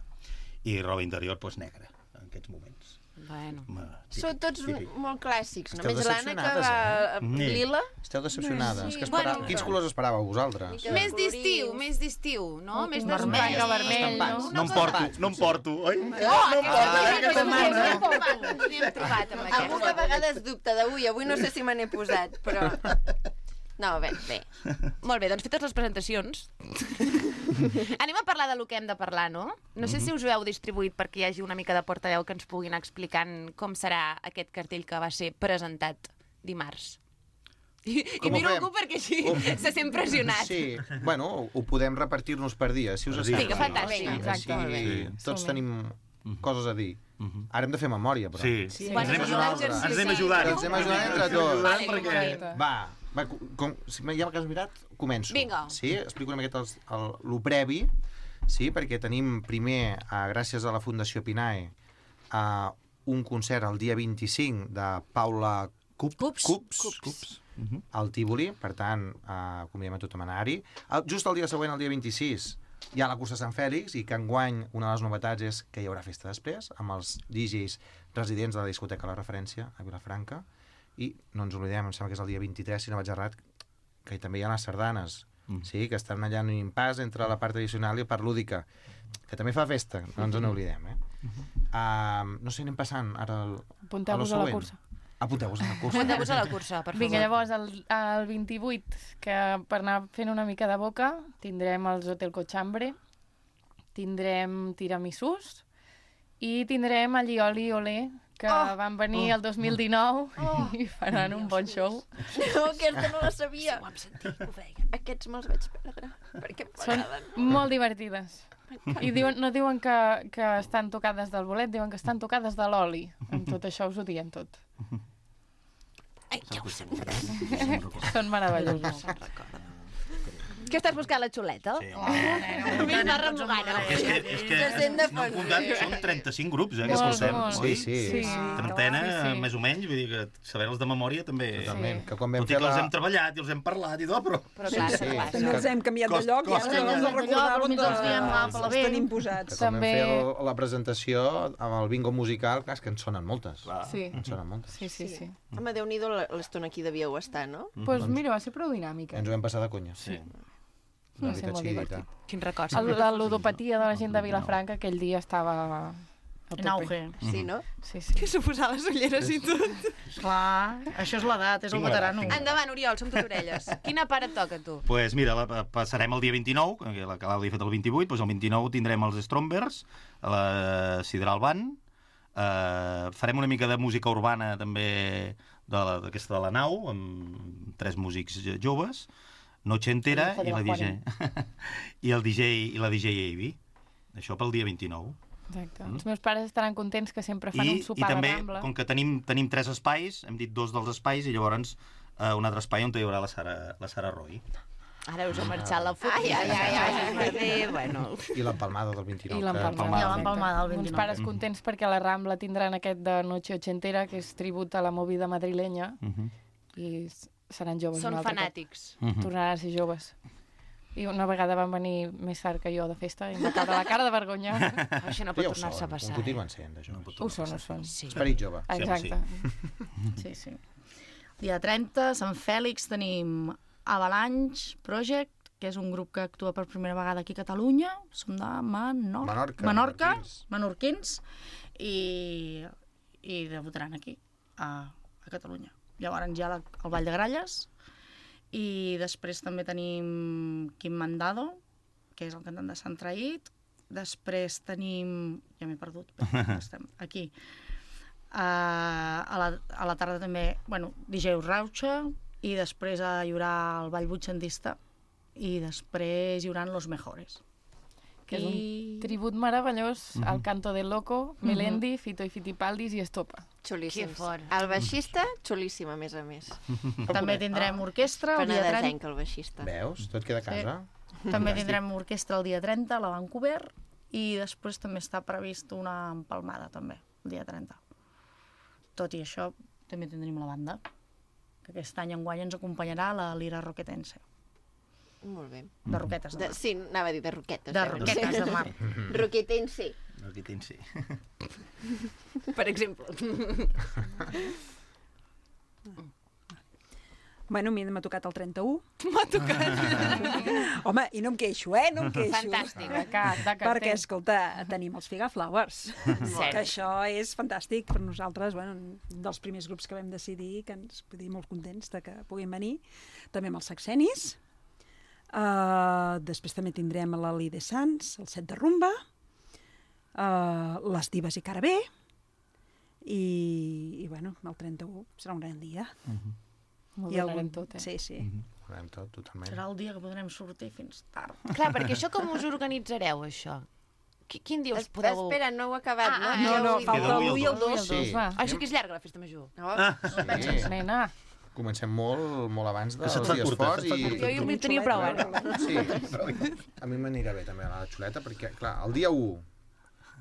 i roba interior, doncs, negra, en aquests moments.
Bueno.
Són tots
típic.
molt clàssics.
Esteu
Només l'Anna que va
decepcionades,
eh?
lila.
Esteu decepcionades.
Sí.
Que espera...
Bueno.
Quins colors esperàveu vosaltres?
Mica
Més
colorits.
d'estiu, més d'estiu, no? Més
vermell.
d'espai.
vermell, no?
No em porto, no em porto, oi?
Oh, aquesta
porto,
setmana.
aquesta
Ens n'hem trobat amb
Algú que a
aquesta.
vegades dubta d'avui. Avui no sé si me n'he posat, però... No, bé, bé.
Molt bé, doncs fetes les presentacions. Anem a parlar del que hem de parlar, no? No sé si us ho heu distribuït perquè hi hagi una mica de portaveu que ens puguin explicar com serà aquest cartell que va ser presentat dimarts. I, i
Com ho
miro
fem?
algú perquè així
Oh.
se sent pressionat.
Sí, bueno, ho podem repartir-nos per dia, si us
Per
sembla.
dia.
Vinga, fantàstic.
Així,
Exacte, molt bé.
així tots
Som-hi.
tenim coses a dir. Ara hem de fer memòria, però.
Sí,
Sí.
ens
Bueno,
anem
és un
ajudant.
exercici.
Ens anem ajudant.
Ens anem ajudant entre tots.
Vale,
perquè...
vinga.
Va, va com, si ja que has mirat, començo.
Vinga.
Sí, explico una miqueta els, el, el previ, sí, perquè tenim primer, eh, gràcies a la Fundació Pinae, eh, un concert el dia vint-i-cinc de Paula Cup,
Cups.
Cups,
Cups.
Cups al Tívoli, per tant, eh, convidem a tothom a anar-hi. El- Just el dia següent, el dia vint-i-sis, hi ha la cursa Sant Fèlix, i que enguany una de les novetats és que hi haurà festa després, amb els D Js residents de la discoteca La Referència, a Vilafranca, i no ens oblidem, em sembla que és el dia vint-i-tres, si no vaig errat, que també hi ha les sardanes, mm. sí, que estan allà en un impàs entre la part tradicional i la part lúdica, que també fa festa, no ens n'oblidem, eh? Uh, no sé, anem passant ara al,
Apunteu-vos a la cursa.
Apunteu-vos a la cursa.
Apunteu-vos a la cursa, per favor.
Vinga, llavors, el, el vint-i-vuit, que per anar fent una mica de boca, tindrem els Hotel Cochambre, tindrem tiramisús i tindrem el Lioli Olé, que
Oh!
van venir el dos mil dinou i faran un bon show.
No, aquesta no la sabia.
Ho vam sentir, que ho feien.
Aquests me'ls vaig perdre, perquè em
Són
m'agraden.
molt divertides. I diuen, no diuen que, que estan tocades del bolet, diuen que estan tocades de l'oli. Amb tot això us ho diem tot.
Ai, ja ho sé.
Són meravellosos.
Què estàs buscant, la xuleta?
Sí,
Oh, Mira, està remugant.
És que, és que
Se sent de
no
fons.
comptant, són trenta-cinc grups, eh, que
Molt,
escoltem.
molt.
oi?
Sí, sí.
Sí.
Trentena,
Sí, sí.
més o menys, vull dir que saber-los de memòria també...
Totalment,
Sí.
que quan vam
Tot i
fer
que els
la...
hem treballat i els hem parlat i tot, però...
Però clar,
Sí,
sí, clar.
sí.
No els hem canviat de
Cost-
lloc i
costa.
ara ens
De lloc,
recordàvem
mig els diem, va, per la
els
bé.
tenim
que
posats.
quan
També-
vam fer el- la presentació amb el bingo musical, clar, és que en sonen moltes.
Clar.
Sí,
En sonen moltes.
sí, sí. sí.
Home, Déu-n'hi-do l'estona aquí devíeu estar, no?
Doncs pues mira, va ser prou dinàmica.
Ens ho vam passar de conya.
Sí.
Va
Una
ser
mica
molt
xidita.
divertit.
Quin record.
El, la ludopatia de la gent de Vilafranca aquell dia estava a
En
tope.
auge.
Sí, no?
Sí, sí.
Que suposar les ulleres i tot.
Clar, això és l'edat, és el
Tinc l'edat,
veterano.
tinc
Endavant, Oriol, som tot orelles. Quina part et toca, tu?
Pues mira, la, passarem el dia vint-i-nou, que la Clàudia ha fet el vint-i-vuit, doncs el vint-i-nou tindrem els Strombers, a la Sidral Band, eh, farem una mica de música urbana també de la- d'aquesta de la nau, amb tres músics joves, Noche Entera
Hijo de
i la
la
D J i el D J i la D J Avi. Això pel dia vint-i-nou.
Exacte. Els meus pares estaran contents que sempre fan
I,
un
i
sopar
també,
de Rambla.
com que tenim, tenim tres espais, hem dit dos dels espais, i llavors eh, un altre espai on hi haurà la Sara, la Sara Roy.
Ara us ha marxat la foto.
Ai, ai, ai, ai.
Bé, bueno.
I l'empalmada del vint-i-nou.
I
que-
l'empalmada.
I l'empalmada del
Uns
vint-i-nou.
pares contents perquè a la Rambla tindran aquest de Noche Ochentera, que és tribut a la movida madrilenya,
Uh -huh.
i s- seran joves
Són
un altre
fanàtics.
Uh
cop.
-huh.
Tornaran a ser joves. I una vegada van venir més tard que jo de festa i em va caure la cara de vergonya.
Això no
Ja
pot
ho
tornar-se a
són,
passar.
ho continuen sent, això.
Ho són, ho són.
Sí.
Esperit jove.
Exacte.
Sí, sí. Dia trenta, Sant Fèlix, tenim Avalanche Project, que és un grup que actua per primera vegada aquí a Catalunya. Som de Manor...
Menorca,
Menorca,
menorquins.
menorquins, i, i debutaran aquí, a, a Catalunya. Llavors hi ha la, el Ball de Gralles, i després també tenim Quim Mandado, que és el cantant de Sant Traït. Després tenim... Ja m'he perdut, però estem aquí. Uh, a, la, a la tarda també, bueno, D J Rauxa, i després hi haurà el ball butxandista i després hi haurà Los Mejores.
Que és
I-
un tribut meravellós
Mhm.
al canto del Loco, Melendi, Fito i Fitipaldis i Estopa.
Xulíssims.
Que fort.
El baixista, xulíssim, a més a més.
També tindrem orquestra el dia trenta.
Penedesenc, el baixista.
Veus? Tot queda a casa.
També tindrem orquestra el dia trenta a la Vancouver i després també està previst una empalmada també, el dia trenta. Tot i això, també tindrem la banda, que aquest any enguany ens acompanyarà la Lira Roquetense.
Molt bé.
De Roquetes de
De,
Mar.
sí, anava a dir de roquetes.
De
eh?
Roquetes de Mar.
Roquetense,
Aquí tens, sí.
per exemple.
Bueno, a mi m'ha tocat el trenta-u. M'ha tocat. Home, i no em queixo, eh? No em queixo.
Fantàstic.
De cap, de carter.
Perquè, escolta, tenim els Figa Flowers.
Cert.
Que això és fantàstic per nosaltres, bueno, un dels primers grups que vam decidir, que ens vull dir molt contents de que puguin venir. També amb els Saxenis. Uh, després també tindrem l'Ali de Sants, el Set de Rumba, uh, les Divas i Carabé, i, i bueno, el trenta-u serà un gran dia.
Ho
I
donarem tot, eh?
Sí, sí.
Ho farem tot, totalment.
Serà el dia que podrem sortir fins tard.
Clar, perquè això com us organitzareu, això? Qui- Quin dia us podeu...
Espera, no ho he acabat,
Ah,
no?
ah,
No,
Ja
no,
ho he
falta
dit.
l'u i el
Ui,
dos.
el dos, va.
Ah, això que és llarga, la festa major.
No?
Sí.
Nena,
Comencem molt, molt abans
Que
dels
se't fa
dies
curta,
forts
se't fa
i...
curta.
Jo hi tenia prou, ara.
Sí, a mi m'anirà bé també la xuleta, perquè, clar, el dia u...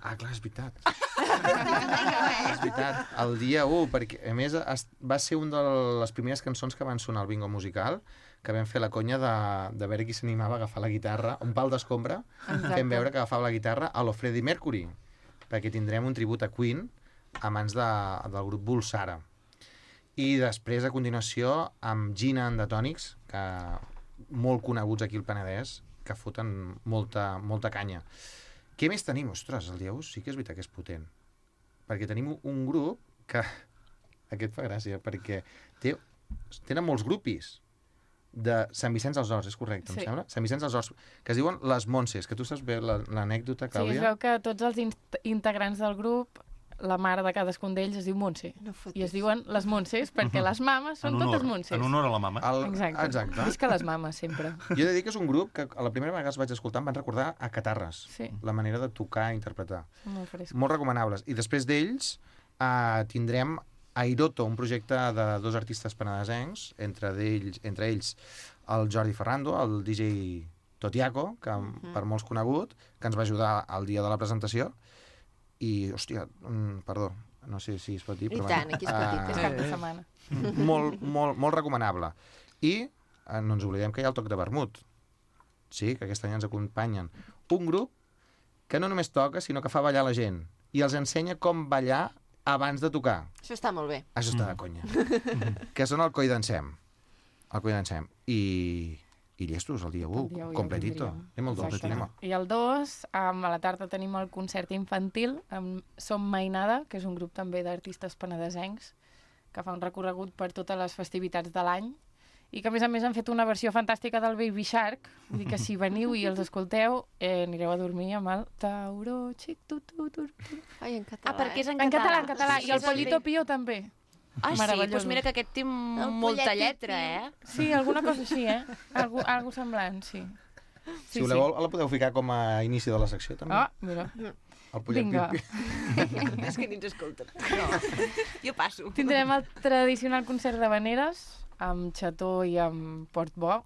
Ah, clar, és veritat. És veritat, el dia u, perquè, a més, es- va ser una de les primeres cançons que van sonar al bingo musical, que vam fer la conya de, de veure qui s'animava a agafar la guitarra, un pal d'escombra, fem veure que agafava la guitarra a lo Freddie Mercury, perquè tindrem un tribut a Queen a mans de, del grup Bulsara. I després, a continuació, amb Gina and the Tonics, que molt coneguts aquí al Penedès, que foten molta, molta canya. Què més tenim? Ostres, el dia u sí que és veritat que és potent. Perquè tenim un grup que... Aquest fa gràcia, perquè té, tenen molts grupis de Sant Vicenç dels Horts, és correcte,
Sí.
em sembla? Sant Vicenç dels Horts, que es diuen les Montses, que tu saps bé la- l'anècdota,
Sí, es
Clàudia?
veu que tots els in- integrants del grup, la mare de cadascun d'ells es diu Montse.
No fotis.
I es diuen les Montses perquè les mames són
En honor,
totes Montses.
en honor a la mama.
El,
Exacte.
exacte.
Visca les mames, sempre.
Jo he de dir que és un grup que a la primera vegada que els vaig escoltar em van recordar a Catarres,
Sí.
la manera de tocar i interpretar.
Són molt frescos.
Molt recomanables. I després d'ells eh, tindrem Airoto, un projecte de dos artistes penedesencs, entre, d'ells, entre ells el Jordi Ferrando, el D J Totiaco, que uh -huh. per molts conegut, que ens va ajudar al dia de la presentació. I, hòstia, mm, perdó, no sé si es pot dir,
I
però...
tant, aquí es pot dir,
eh,
És cap de setmana.
molt, molt, molt recomanable. I eh, no ens oblidem que hi ha el Toc de Vermut. Sí, que aquest any ens acompanyen. Un grup que no només toca, sinó que fa ballar la gent. I els ensenya com ballar abans de tocar.
Això està molt bé.
Això està de conya. Que són el Coi d'Ensem. El Coi d'Ensem. I, i llestos, el dia u,
El dia u ja ho
completito.
tindríem.
Anem al dos,
Exacte.
anem al...
I el dos, um, a la tarda tenim el concert infantil amb Som Mainada, que és un grup també d'artistes penedesencs, que fa un recorregut per totes les festivitats de l'any, i que a més a més han fet una versió fantàstica del Baby Shark, vull dir que si veniu i els escolteu, eh, anireu a dormir amb el Tauro, xic, tu, tu, tu, tu.
Ai, en català.
Ah, perquè és en,
En català, en
català.
català, i el
Sí,
Pollito
sí.
Pío també.
Ah, sí?
Meravellós.
Doncs mira que aquest té molta
pollet
lletra, eh?
Sí, alguna cosa així, eh? Algo, algo semblant, sí.
Si voleu, la podeu ficar com a inici de la secció, també.
Ah, mira.
El pollet
Vinga.
pipi.
És que ni ens escolten. No. Jo passo.
Tindrem el tradicional concert de Vaneres amb Xató i amb Portbó.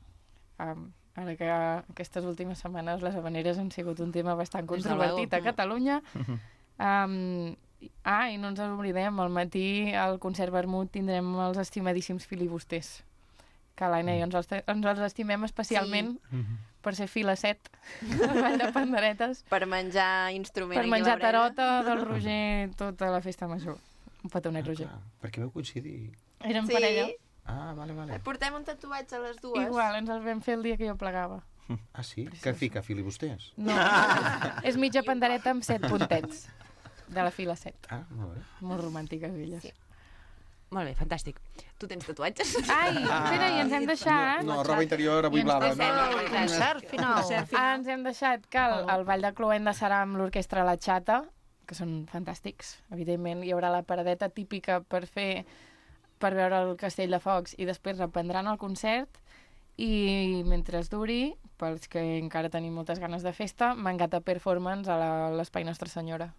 Um, ara que aquestes últimes setmanes les habaneres han sigut un tema bastant
Des de
controvertit
luego.
a Catalunya. Um, ah, i no ens oblidem, al matí al concert Vermut tindrem els estimadíssims filibusters, que l'Aina i jo ens els, ens els estimem especialment per ser fila set al Ball de Panderetes,
Per menjar instrument
per
aquí a la
menjar
breda.
tarota del Roger tota la festa major. Un petonet, Roger.
Ah, perquè veu coincidir.
Érem
Sí.
parella.
Ah, vale, vale.
Portem un tatuatge a les dues.
Igual, ens els vam fer el dia que jo plegava.
Ah, sí? Què fica, filibusters?
No, és mitja pandereta amb set puntets. De la fila set.
Ah, molt bé.
Molt romàntiques, elles. Sí.
Molt bé, fantàstic. Tu tens tatuatges?
Ai, espera, i ens hem deixat...
No, roba interior, avui
I ens
blava.
deixem
No,
el
Concert final.
Ah, ens hem deixat que el, el Ball de Cloenda serà amb l'orquestra La Xata, que són fantàstics. Evidentment, hi haurà la paradeta típica per fer per veure el Castell de Focs i després reprendran el concert i mentre es duri, pels que encara tenim moltes ganes de festa, Mangata Performance a la- l'Espai Nostra Senyora.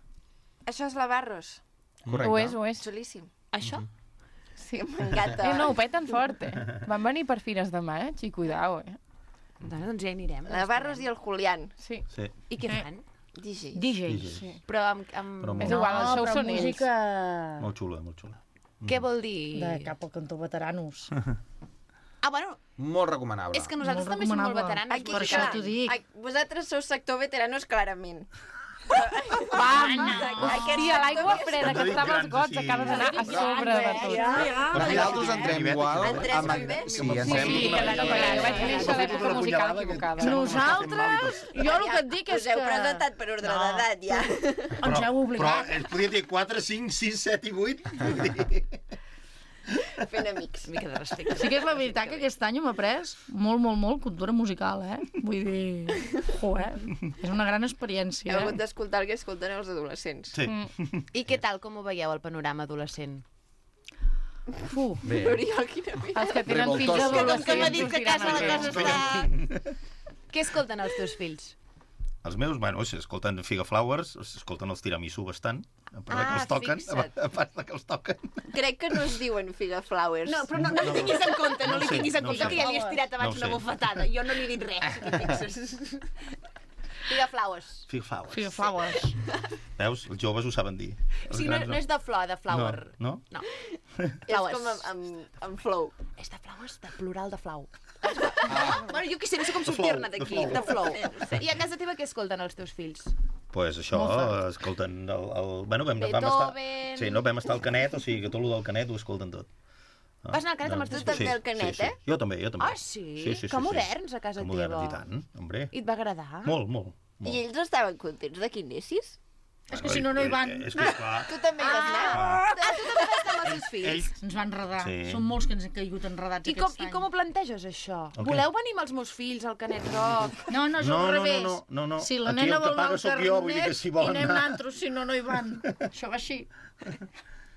Això és la Barros.
Correcte.
Ho és, ho és.
Xulíssim.
Això?
Sí, m'encanta.
Eh, no, ho peten fort, eh? Van venir per Fires de Maig i cuidao, eh?
Doncs, doncs ja hi anirem.
La Barros i el Julián.
Sí.
Sí.
I què fan?
D Js.
D Js.
Sí.
Però amb... amb...
Però
És
molt,
igual, el show
però
són ells.
música
molt xula, molt xula.
Què vol dir?
de cap al cantó veteranos.
Ah, bueno,
Molt recomanable.
és que nosaltres
Molt
també som molt
recomanable.
veteranos.
Aquí,
Per
vull dir
això
clar,
que-
t'ho dic.
a- vosaltres sou sector veteranos, clarament.
Vam!
Aquest
Hòstia, l'aigua
sector-
freda que estava als gots acaba d'anar a sobre de tot.
Però nosaltres entrem igual.
Entrem
amb-
també?
Sí,
Sí,
entrem...
sí, que la copa, jo vaig néixer a l'època musical equivocada.
Nosaltres, jo el que et dic és
Us heu
que...
presentat per ordre d'edat, ja.
Ens heu obligat.
Però es podia dir quatre, cinc, sis, set i vuit. Vull dir...
Fent amics.
Mica de respecte.
Sí que és la veritat que aquest any hem après molt, molt, molt cultura musical, eh? Vull dir... Jo, eh? És una gran
Heu
experiència,
hagut
eh?
d'escoltar el que escolten els adolescents.
Sí.
I què tal, com ho veieu, el panorama adolescent?
Uf.
Bé.
Oriol, quina vida.
Els que tenen fills
Revoltosos.
adolescents...
Com que m'ha dit que a casa la
sortiran
cosa
amb
està... Què escolten els teus fills?
Els meus, bueno, si escolten Figa Flowers, escolten els tiramisú bastant, a part de que
Ah,
els toquen,
fixa't.
a part de que els toquen.
Crec que no es diuen Figa Flowers.
No, però no, no li tinguis en compte, no,
No
li
ho sé,
tinguis en
no ho
compte,
sé.
que ja li has tirat abans
No ho
una
sé.
bufetada. Jo no li he dit res, si t'hi fixes. Figa flowers.
Figa Flowers.
Figa Flowers.
Veus? Els joves ho saben dir. Els
Sí, no,
grans
no és de flor, de flower.
No?
No.
És
Flowers.
com amb, amb, amb flow.
És de flowers, de plural de flau. Ah. Bueno, jo què sé, no sé com sortir-ne
flow,
d'aquí,
de
de flow. I a casa teva què escolten els teus fills?
Pues això, escolten el... el bueno, vam, vam estar...
Beethoven.
Sí, no, vam estar al Canet, o sigui que tot el del Canet ho escolten tot.
Vas anar al Canet amb els
Tu
teus
també
fills?
al Canet,
sí, sí.
eh?
Jo també, jo també.
Ah, sí?
Sí, sí, sí,
Que
sí.
moderns a casa
que
teva.
moderns, i tant, hombre.
I et va agradar?
Molt, molt.
I
molt.
ells estaven contents de que hi anessis?
És que si no, no hi van.
És que, esclar,
Tu també hi vas anar?
Ah, tu també vas anar amb els teus fills?
ells...
Ens va enredar.
Sí.
Són molts que ens han caigut enredats
I com,
aquest
I
any.
com ho planteges, això?
El què?
Voleu venir amb els meus fills al Canet Rock?
No, no, és
No,
al
no, no,
revés.
no, no, no.
Si la
Aquí
nena
el que
vol anar
paga
al
sóc jo, vull dir que
carnet
si volen
i anem
anar-
naltros, si no, no hi van. Això va així.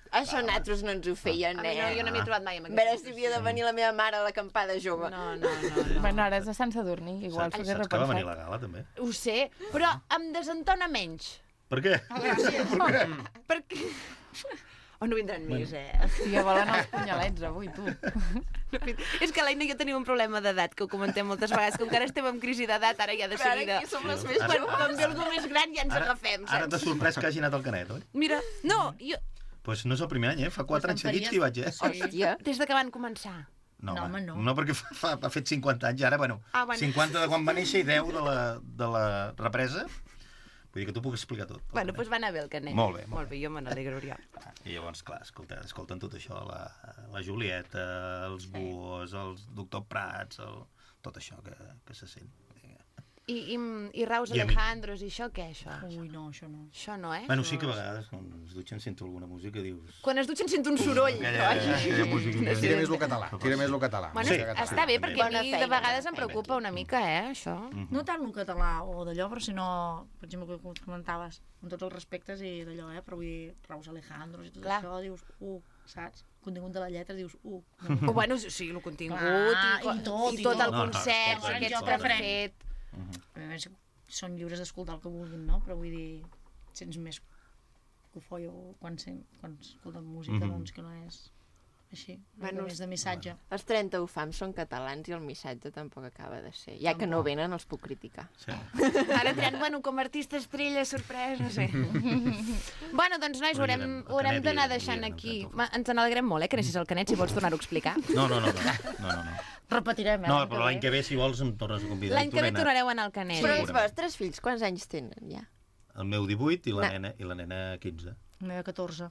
Això nosaltres no ens ho feien,
A mi
eh?
no, jo no m'hi he trobat mai amb
A veure
aquests.
si havia de venir la meva mare a l'acampada jove.
No, no, no. no.
Bueno, ara és de Sant Sadurní, igual s'ho hagués
Saps que va venir
repensat.
la gala, també?
Ho sé, però em desentona menys.
Per què?
Perquè... O no vindran més, eh?
Hòstia, volen els punyalets avui, tu.
És que l'Aina i jo tenim un problema d'edat, que ho comentem moltes vegades. Com que ara estem en crisi d'edat, ara ja de
Però ara
seguida...
aquí som les més
Ara-
joves.
Quan ve algú més gran ja ens
Ara,
agafem,
ara t'ha
saps?
sorprès que hagi anat al Canet, oi?
Mira, no, jo...
Doncs pues no és el primer any, eh? Fa quatre anys seguits que hi vaig, eh?
Hòstia.
Des de que van començar.
No,
No,
home,
home, no.
no perquè fa, fa, ha fet cinquanta anys, ara, bueno,
Ah, bueno.
cinquanta de quan va néixer i deu de la, de la represa. Vull dir que tu puc explicar tot.
Bueno, doncs va anar bé el Canet.
Molt bé, molt
Molt bé, jo me n'alegro, Oriol.
I llavors, clar, escolta, escolten tot això, la, la Julieta, els Buos, els Doctor Prats, el, tot això que, que se sent.
I, i, i Raus
I a mi-
Alejandros i això, què, això?
Ui, no, això no.
Això no, eh?
Bueno, sí que a vegades, quan es dutxen, sento alguna música i dius...
Quan es dutxen sento un soroll.
Aquella, aquella música...
Tira més el català, tira més el català.
Bueno,
Sí.
està bé, perquè a
Bona
mi
feina,
de vegades
bona
em preocupa una mica, eh, això.
No tant el català o d'allò, però sinó, per exemple, que comentaves, amb tots els respectes i d'allò, eh, però vull dir, Raus Alejandros i tot
Clar.
això, dius, uh, saps? El contingut de la lletra, dius, uh.
O bueno, sí, el contingut
Ah,
i,
i tot,
i
i
tot
tot.
el
No, no,
concert,
escolta,
aquest
jo
que han
preferent.
fet.
A més, són lliures d'escoltar el que vulguin, no? Però vull dir, sents més cofoio quan, sent, quan escolten música,
Mhm.
doncs, que no és així, una
Bueno,
mica més de missatge.
Els trenta ufams són catalans i el missatge tampoc acaba de ser. Ja que no venen, els puc criticar.
Sí.
Ara triant, bueno, com a artista estrella, sorpresa, no sé. Bueno, doncs, nois, ho
Però
haurem,
hi ha-
ho haurem
Canet
d'anar
hi ha-
deixant
hi ha-
aquí.
hi ha-
Ma- Ens n'alegrem molt, eh, que anessis al Canet, si vols tornar-ho a explicar.
No, no, no, no, no, no, no.
Repetirem, eh?
No, però l'any que ve, si vols, em tornes a convidar.
L'any
I tu
que ve
nena.
tornareu a anar al Canet.
Però els
segurament.
vostres fills, quants anys tenen ja?
El meu divuit i la
No.
nena, i la nena quinze.
La meva catorze.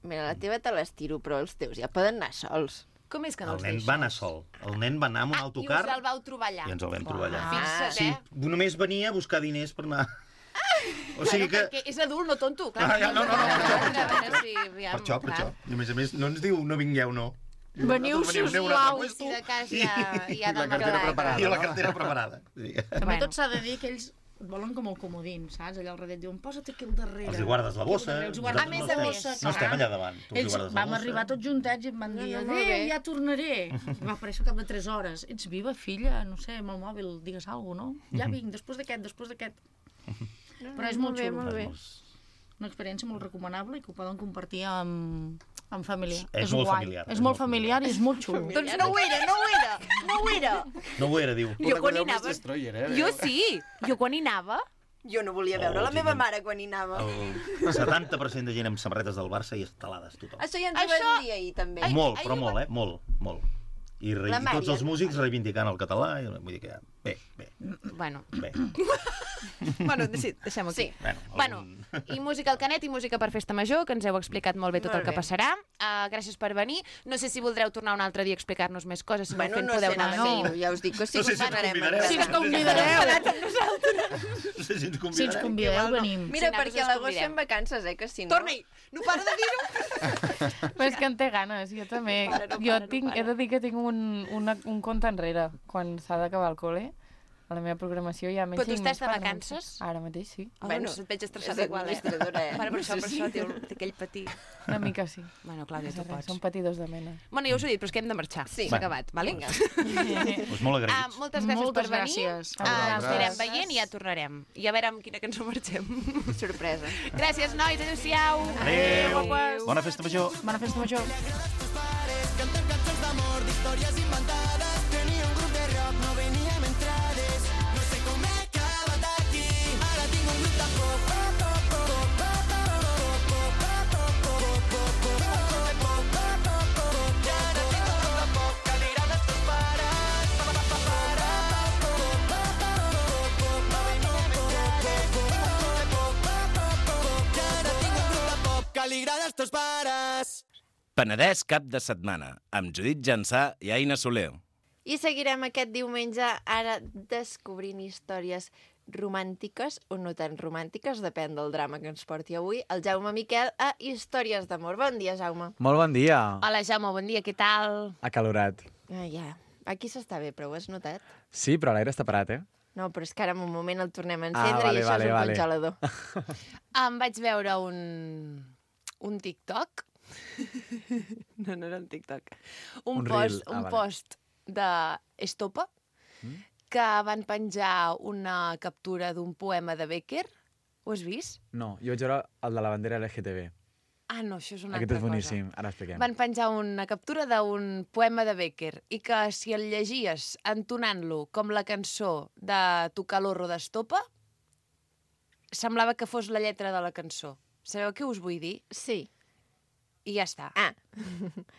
Mira, la teva te l'estiro, però els teus ja poden anar sols.
Com és que no
El
els
nen
deixes?
va anar sol. El nen va anar amb un
Ah, i
autocar
us el vau trobar allà.
i ens el vam trobar allà.
Fixa't,
Sí,
eh?
només venia a buscar diners per anar... O sigui que...
Bueno, perquè és adult, no tonto. Clar,
Ah, ja, no, no, no, per això, per
A veure si, aviam,
Per això, per
clar.
això. I a més a més, no ens diu no vingueu, no.
Veniu,
Nosaltres venim,
sisplau.
aneu a un altre
Si de
puesto
cas ja, ja
I la
del
cartera
Macaulay.
preparada.
I la cartera preparada. Sí.
També
Bueno.
tot s'ha de dir que ells et volen com el comodín, saps? Allà al darrere et diuen, posa't aquí al darrere.
Els hi guardes la bossa.
Els guardes
nosaltres
a
no
més a
estem-
més.
No estem allà davant. Tu els hi
Ells
guardes la
vam
bossa.
arribar tots juntats i em van dir,
no, molt
adéu,
bé.
ja tornaré. I va aparèixer al cap de tres hores. Ets viva, filla? No sé, amb el mòbil, digues alguna cosa, no? Ja vinc, després d'aquest, després d'aquest. Però és molt
bé,
xulo.
molt bé.
Una experiència molt recomanable i que ho poden compartir amb, amb família.
És molt
guai.
familiar,
És molt familiar i és molt xulo.
Doncs no ho era, no ho era, no ho era.
No ho era, diu.
Jo quan hi
Recordeu
anava...
Miss Destroyer, eh?
Jo sí, jo quan hi anava...
Jo no volia veure
Oh,
la meva
gent.
mare quan hi anava.
El setanta per cent de gent amb samarretes del Barça i estelades, tothom.
Això ja ens ho
Això-
van dir ahir, també.
Molt, però molt, eh? Molt, molt. I, re...
La
I tots
Mària.
els músics reivindicant el català. I... Vull dir que... Bé, bé,
Bueno,
bé.
Bueno, sí, deixem-ho aquí.
Sí.
Bueno,
bueno,
algun-
i música al Canet i música per Festa Major, que ens heu explicat molt bé tot
Molt
el que
bé.
passarà. Uh, gràcies per venir. No sé si voldreu tornar un altre dia a explicar-nos més coses. Si
Bueno,
no, fent,
no
podeu
sé,
anar
no,
fent.
no, ja us dic que sí,
No sé
us
si ens
anarem.
convidareu.
Si ens convidareu,
No sé si ens
si ens
convidareu.
convideu, venim.
Mira,
Sí, nosaltres
perquè
us
a l'agost
convidem.
fem vacances, eh, que si no...
Torna-hi! No para de dir-ho!
Però és que en té ganes, jo també.
para, no
jo
para, no
tinc,
para.
he de dir que tinc un, una, un compte enrere quan s'ha d'acabar el col·le. A la meva programació hi ha menys
Però tu
cinc
estàs
minuts
de
per
vacances?
començar. Ara mateix sí.
Bueno,
Bueno,
et veig estressada
és
igual, eh?
administradora, eh?
Bueno, per això, per
Sí.
això, té, té aquell patir.
Una mica sí.
Bueno, Clàudia, tu
Res,
pots.
Són patidors de mena.
Bueno, ja us ho he dit, però és que hem de marxar.
Sí.
S'ha acabat, vale?
Vinga.
Pues molt
Ah,
agraïts.
moltes gràcies
Moltes
per venir.
gràcies.
Ah, ens anirem
Gràcies.
veient i ja tornarem. I a veure amb quina cançó marxem.
Sorpresa.
Gràcies, nois. Adéu-siau.
Adéu.
guapes.
Bona festa major.
Bona festa major.
Cantem cançons d'amor, d'històries inventades. Tenia un grup de rock, no veníem entrades. No sé com he acabat aquí. Ara tinc un grup de pop. I ara tinc un grup de pop que li agrada als teus pares. No veníem entrades. I ara tinc un grup de pop que li agrada als teus pares.
Penedès cap de setmana, amb Judit Jansà i Aina Soler.
I seguirem aquest diumenge ara descobrint històries romàntiques o no tan romàntiques, depèn del drama que ens porti avui, el Jaume Miquel a Històries d'amor. Bon dia, Jaume.
Molt bon dia.
Hola, Jaume, bon dia, què tal?
Acalorat.
Ah, ja. Aquí s'està bé, però ho has notat?
Sí, però l'aire està parat, eh?
No, però és que ara en un moment el tornem a
Ah,
encendre
vale,
i això
vale,
és un
vale.
congelador.
Em vaig veure un... un TikTok. No, no era un TikTok. Un,
Un
post,
reel. Ah,
un
vale.
post de Estopa que van penjar una captura d'un poema de Becker. Ho has vist?
No, jo vaig veure el de la bandera L G T B.
Ah, no, això és una
Aquest
altra
és boníssim, ara expliquem.
Van penjar una captura d'un poema de Becker i que si el llegies entonant-lo com la cançó de Tu calorro d'Estopa, semblava que fos la lletra de la cançó. Sabeu què us vull dir?
Sí.
I ja està.
Ah,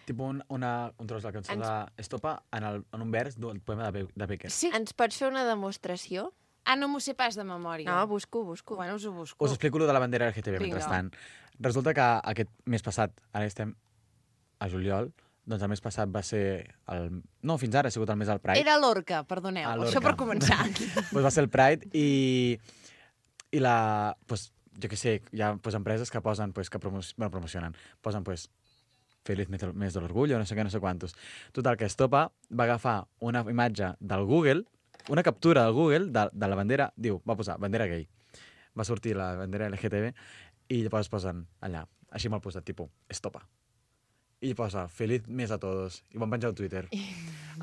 Tipo un, una, un tros de la cançó
Ens-
d'Estopa en, el, en un vers del poema de, Be de Becker.
Sí.
ens pots fer una demostració?
Ah, no m'ho sé pas de memòria.
No, busco, busco.
Bueno, us ho busco.
Us explico lo de la bandera L G T B
Vinga.
mentrestant. Resulta que aquest mes passat, ara estem a juliol, doncs el mes passat va ser... El... No, fins ara ha sigut el mes del Pride.
Era l'Orca, perdoneu.
Ah,
Això
l'Orca.
per començar.
Pues va ser el Pride i, i la... Pues, jo què sé, hi ha pues, empreses que posen, pues, que promo bueno, promocionen, posen pues, Feliz mes mes de l'orgullo, no sé què, no sé quantos. Total, que Estopa va agafar una imatge del Google, una captura del Google de, de la bandera, diu, va posar bandera gay. Va sortir la bandera L G T B i llavors posen allà, així mal posat, tipus, Estopa. I posa, feliz mes a todos. I ho van penjar al Twitter.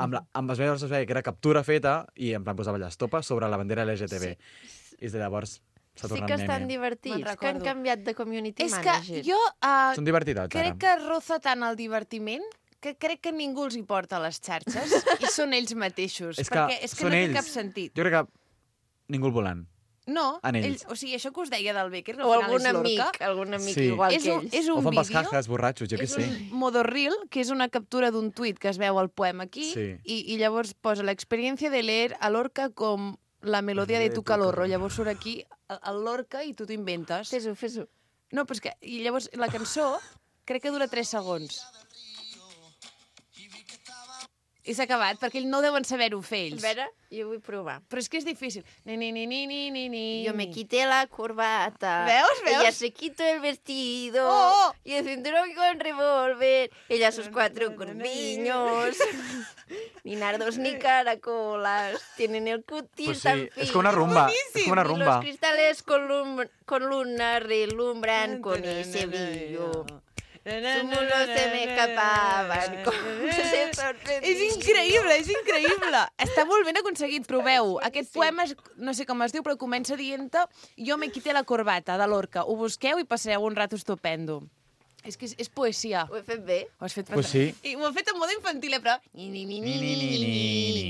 Amb, la, amb es veia, es veia que era captura feta i en plan posava allà Estopa sobre la bandera L G T B. Sí. I des de llavors s'ha
Sí
tornat
que estan
meme.
divertits,
Me'n
que han
recordo.
canviat de community
És que
manager.
jo uh,
Són divertidats,
crec
ara.
que roza tant el divertiment que crec que ningú els hi porta a les xarxes i són ells mateixos.
És que
perquè és que
són
no
ells.
té cap sentit.
Jo crec que ningú el volen.
No,
En ells.
o sigui, això que us deia del Becker, que al
O
final
algun
és l'Orca,
amic, algun amic
Sí.
igual
és
que
un,
ells.
és
O
un
fan
vídeo,
pascajes borratxos, jo què
és
sé.
un modorril, que és una captura d'un tuit que es veu al poema aquí,
Sí.
i, i llavors posa la experiència de leer a l'Orca com la melodia de tu calorro. Llavors surt aquí el- el l'Orca i tu t'ho inventes.
Fes-ho, fes-ho.
No, però és que... I llavors la cançó crec que dura tres segons. I s'ha acabat, perquè ells no deuen saber-ho fer,
A
ells.
veure, jo vull provar.
Però és que és difícil. Ni, ni, ni, ni, ni, ni, ni.
Yo me quité la corbata.
¿Veos, veos?
Ella se quitó el vestido.
Oh, oh.
Y el cinturón con revólver. Ella sus cuatro corpiños. Ni nardos ni caracolas. Tienen el cutis
Pues
tan
sí,
fino.
és com una rumba. És com una
Y los
rumba.
cristales con, lum con luna relumbran con ese brillo. Sus mulos se me escapaban. Com se sorprendien.
És increïble, és increïble. Està molt ben aconseguit, proveu. Aquest poema, és, no sé com es diu, però comença dient-te jo me quité la corbata, de Lorca. Ho busqueu i passareu un rato estupendo. És que és, és poesia.
Ho he fet bé.
Ho has fet
Pues sí.
I ho he fet en mode infantil, eh, però... Ni, ni, ni, ni, ni, ni,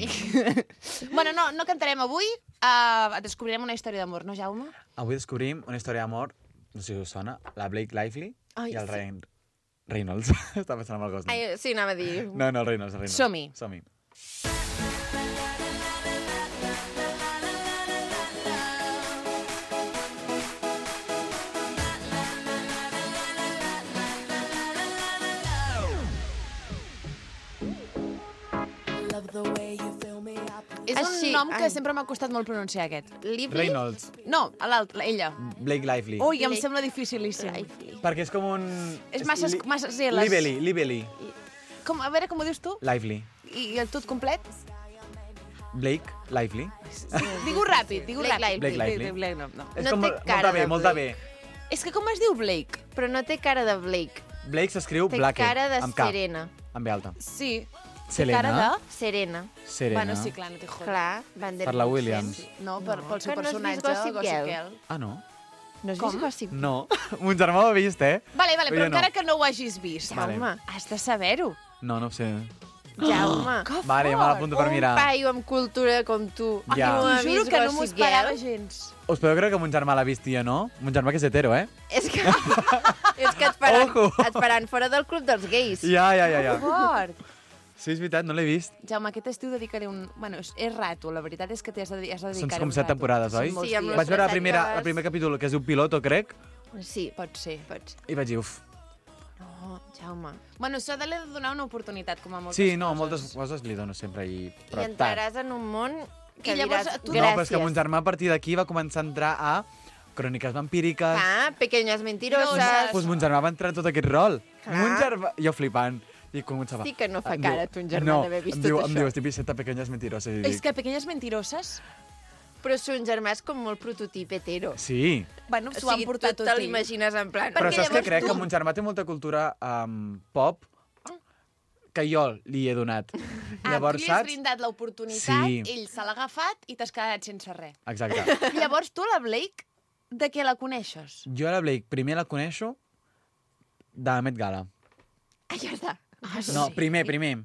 ni. Bueno, no, no cantarem avui. Uh, descobrirem una història d'amor, no, Jaume?
Avui descobrim una història d'amor, no sé si us sona, la Blake Lively
Ai,
i el
sí.
Ryan Reynolds. Està pensant en el Gosling.
Ai, sí, anava a dir.
No, no, el Reynolds, el Reynolds.
Som-hi.
Som-hi.
És
Així,
un nom que
ai.
sempre m'ha costat molt pronunciar, aquest.
Lively?
Reynolds,
No, l'altre, ella.
Blake Lively.
Ui, em
Blake
sembla dificilíssim.
Lively.
Perquè és com un...
És massa,
li-
massa zeles.
Lively, Lively.
Com, a veure, com ho dius tu?
Lively.
I, i el tot complet?
Blake Lively.
Digue-ho ràpid, digue-ho
Blake
ràpid.
Lively. Blake Lively.
Blake, no, no.
És
No
com
té
molt-
cara
molta bé,
de
molta bé.
Blake.
És que com es diu Blake?
Però no té cara de Blake.
Blake s'escriu
Té
Blake,
cara de
amb K,
Serena.
amb B alta.
Sí.
Selena.
Cara de...
Serena.
Serena.
Bueno, sí, clar, no té joder.
Clar, Van der
Per la
Woodsen.
Williams.
No, per, pel seu
Que no has
personatge,
vist Gossip
Gossip
Girl?
Girl.
Ah, no?
No has
Com?
vist Gossip Girl?
No. Mon germà ho ha vist, eh?
Vale, vale, però
Jo no.
encara que no ho hagis vist,
Vale.
Jaume,
has de saber-ho.
No, no ho sé.
Jaume.
Que
Vale, me l'apunto per
Un
mirar.
paio amb cultura com tu.
Ja.
no
T'ho
ha
juro
vist
que no m'ho
Gossip
esperava
Girl?
gens.
Us podeu creure que mon germà l'ha vist i jo no? Mon germà que és hetero, eh?
És que, és que et, faran,
Ojo.
et faran fora del club dels gais.
Ja, ja, ja, ja.
Fort.
Sí, és veritat, no l'he vist.
Jaume, aquest estiu dedicaré un... Bueno, és, és rato, la veritat és que t'hi has de, has de
Són
dedicar
com
un
set
rato.
temporades,
Són
oi?
molts
Sí, amb
dies.
les
Vaig veure la
tres
primera,
sèries.
el primer capítol, que es diu Piloto, crec,
Sí,
Pot ser.
pot ser.
i vaig dir, uf.
No, Jaume.
Bueno, s'ha de li de donar una oportunitat, com a moltes
Sí, no,
coses.
moltes coses li dono sempre i...
I
Però tard.
entraràs en un món que
I llavors
diràs
tu-
No, però és que
gràcies.
mon germà a partir d'aquí va començar a entrar a cròniques vampíriques.
Ah, pequeñas mentiroses.
Mentiroses.
Doncs mon germà va entrar en tot aquest rol.
Clar.
Mon germà... Jo flipant. I començava...
Sí que no fa
Em
cara,
diu-
ton germà,
no,
d'haver vist
em diu,
tot
em
això.
diu, estic vist pequeñas mentiroses. I
És
dic,
que Pequeñes Mentiroses,
Però son germà és com molt prototip hetero.
sí.
bueno,
O
s'ho han
sigui,
portat
tu
tot
te
ell.
l'imagines en plan...
Però
Perquè
saps què
llavors
crec?
tu-
Que mon germà té molta cultura um, pop que jo li he donat.
Ah,
Llavors,
tu li has
saps?
brindat l'oportunitat,
Sí.
ell se l'ha agafat i t'has quedat sense res.
Exacte.
Llavors tu, la Blake, de què la coneixes?
Jo la Blake primer la coneixo de Met Gala.
Ah, ja està.
Ah,
No, primer, primer.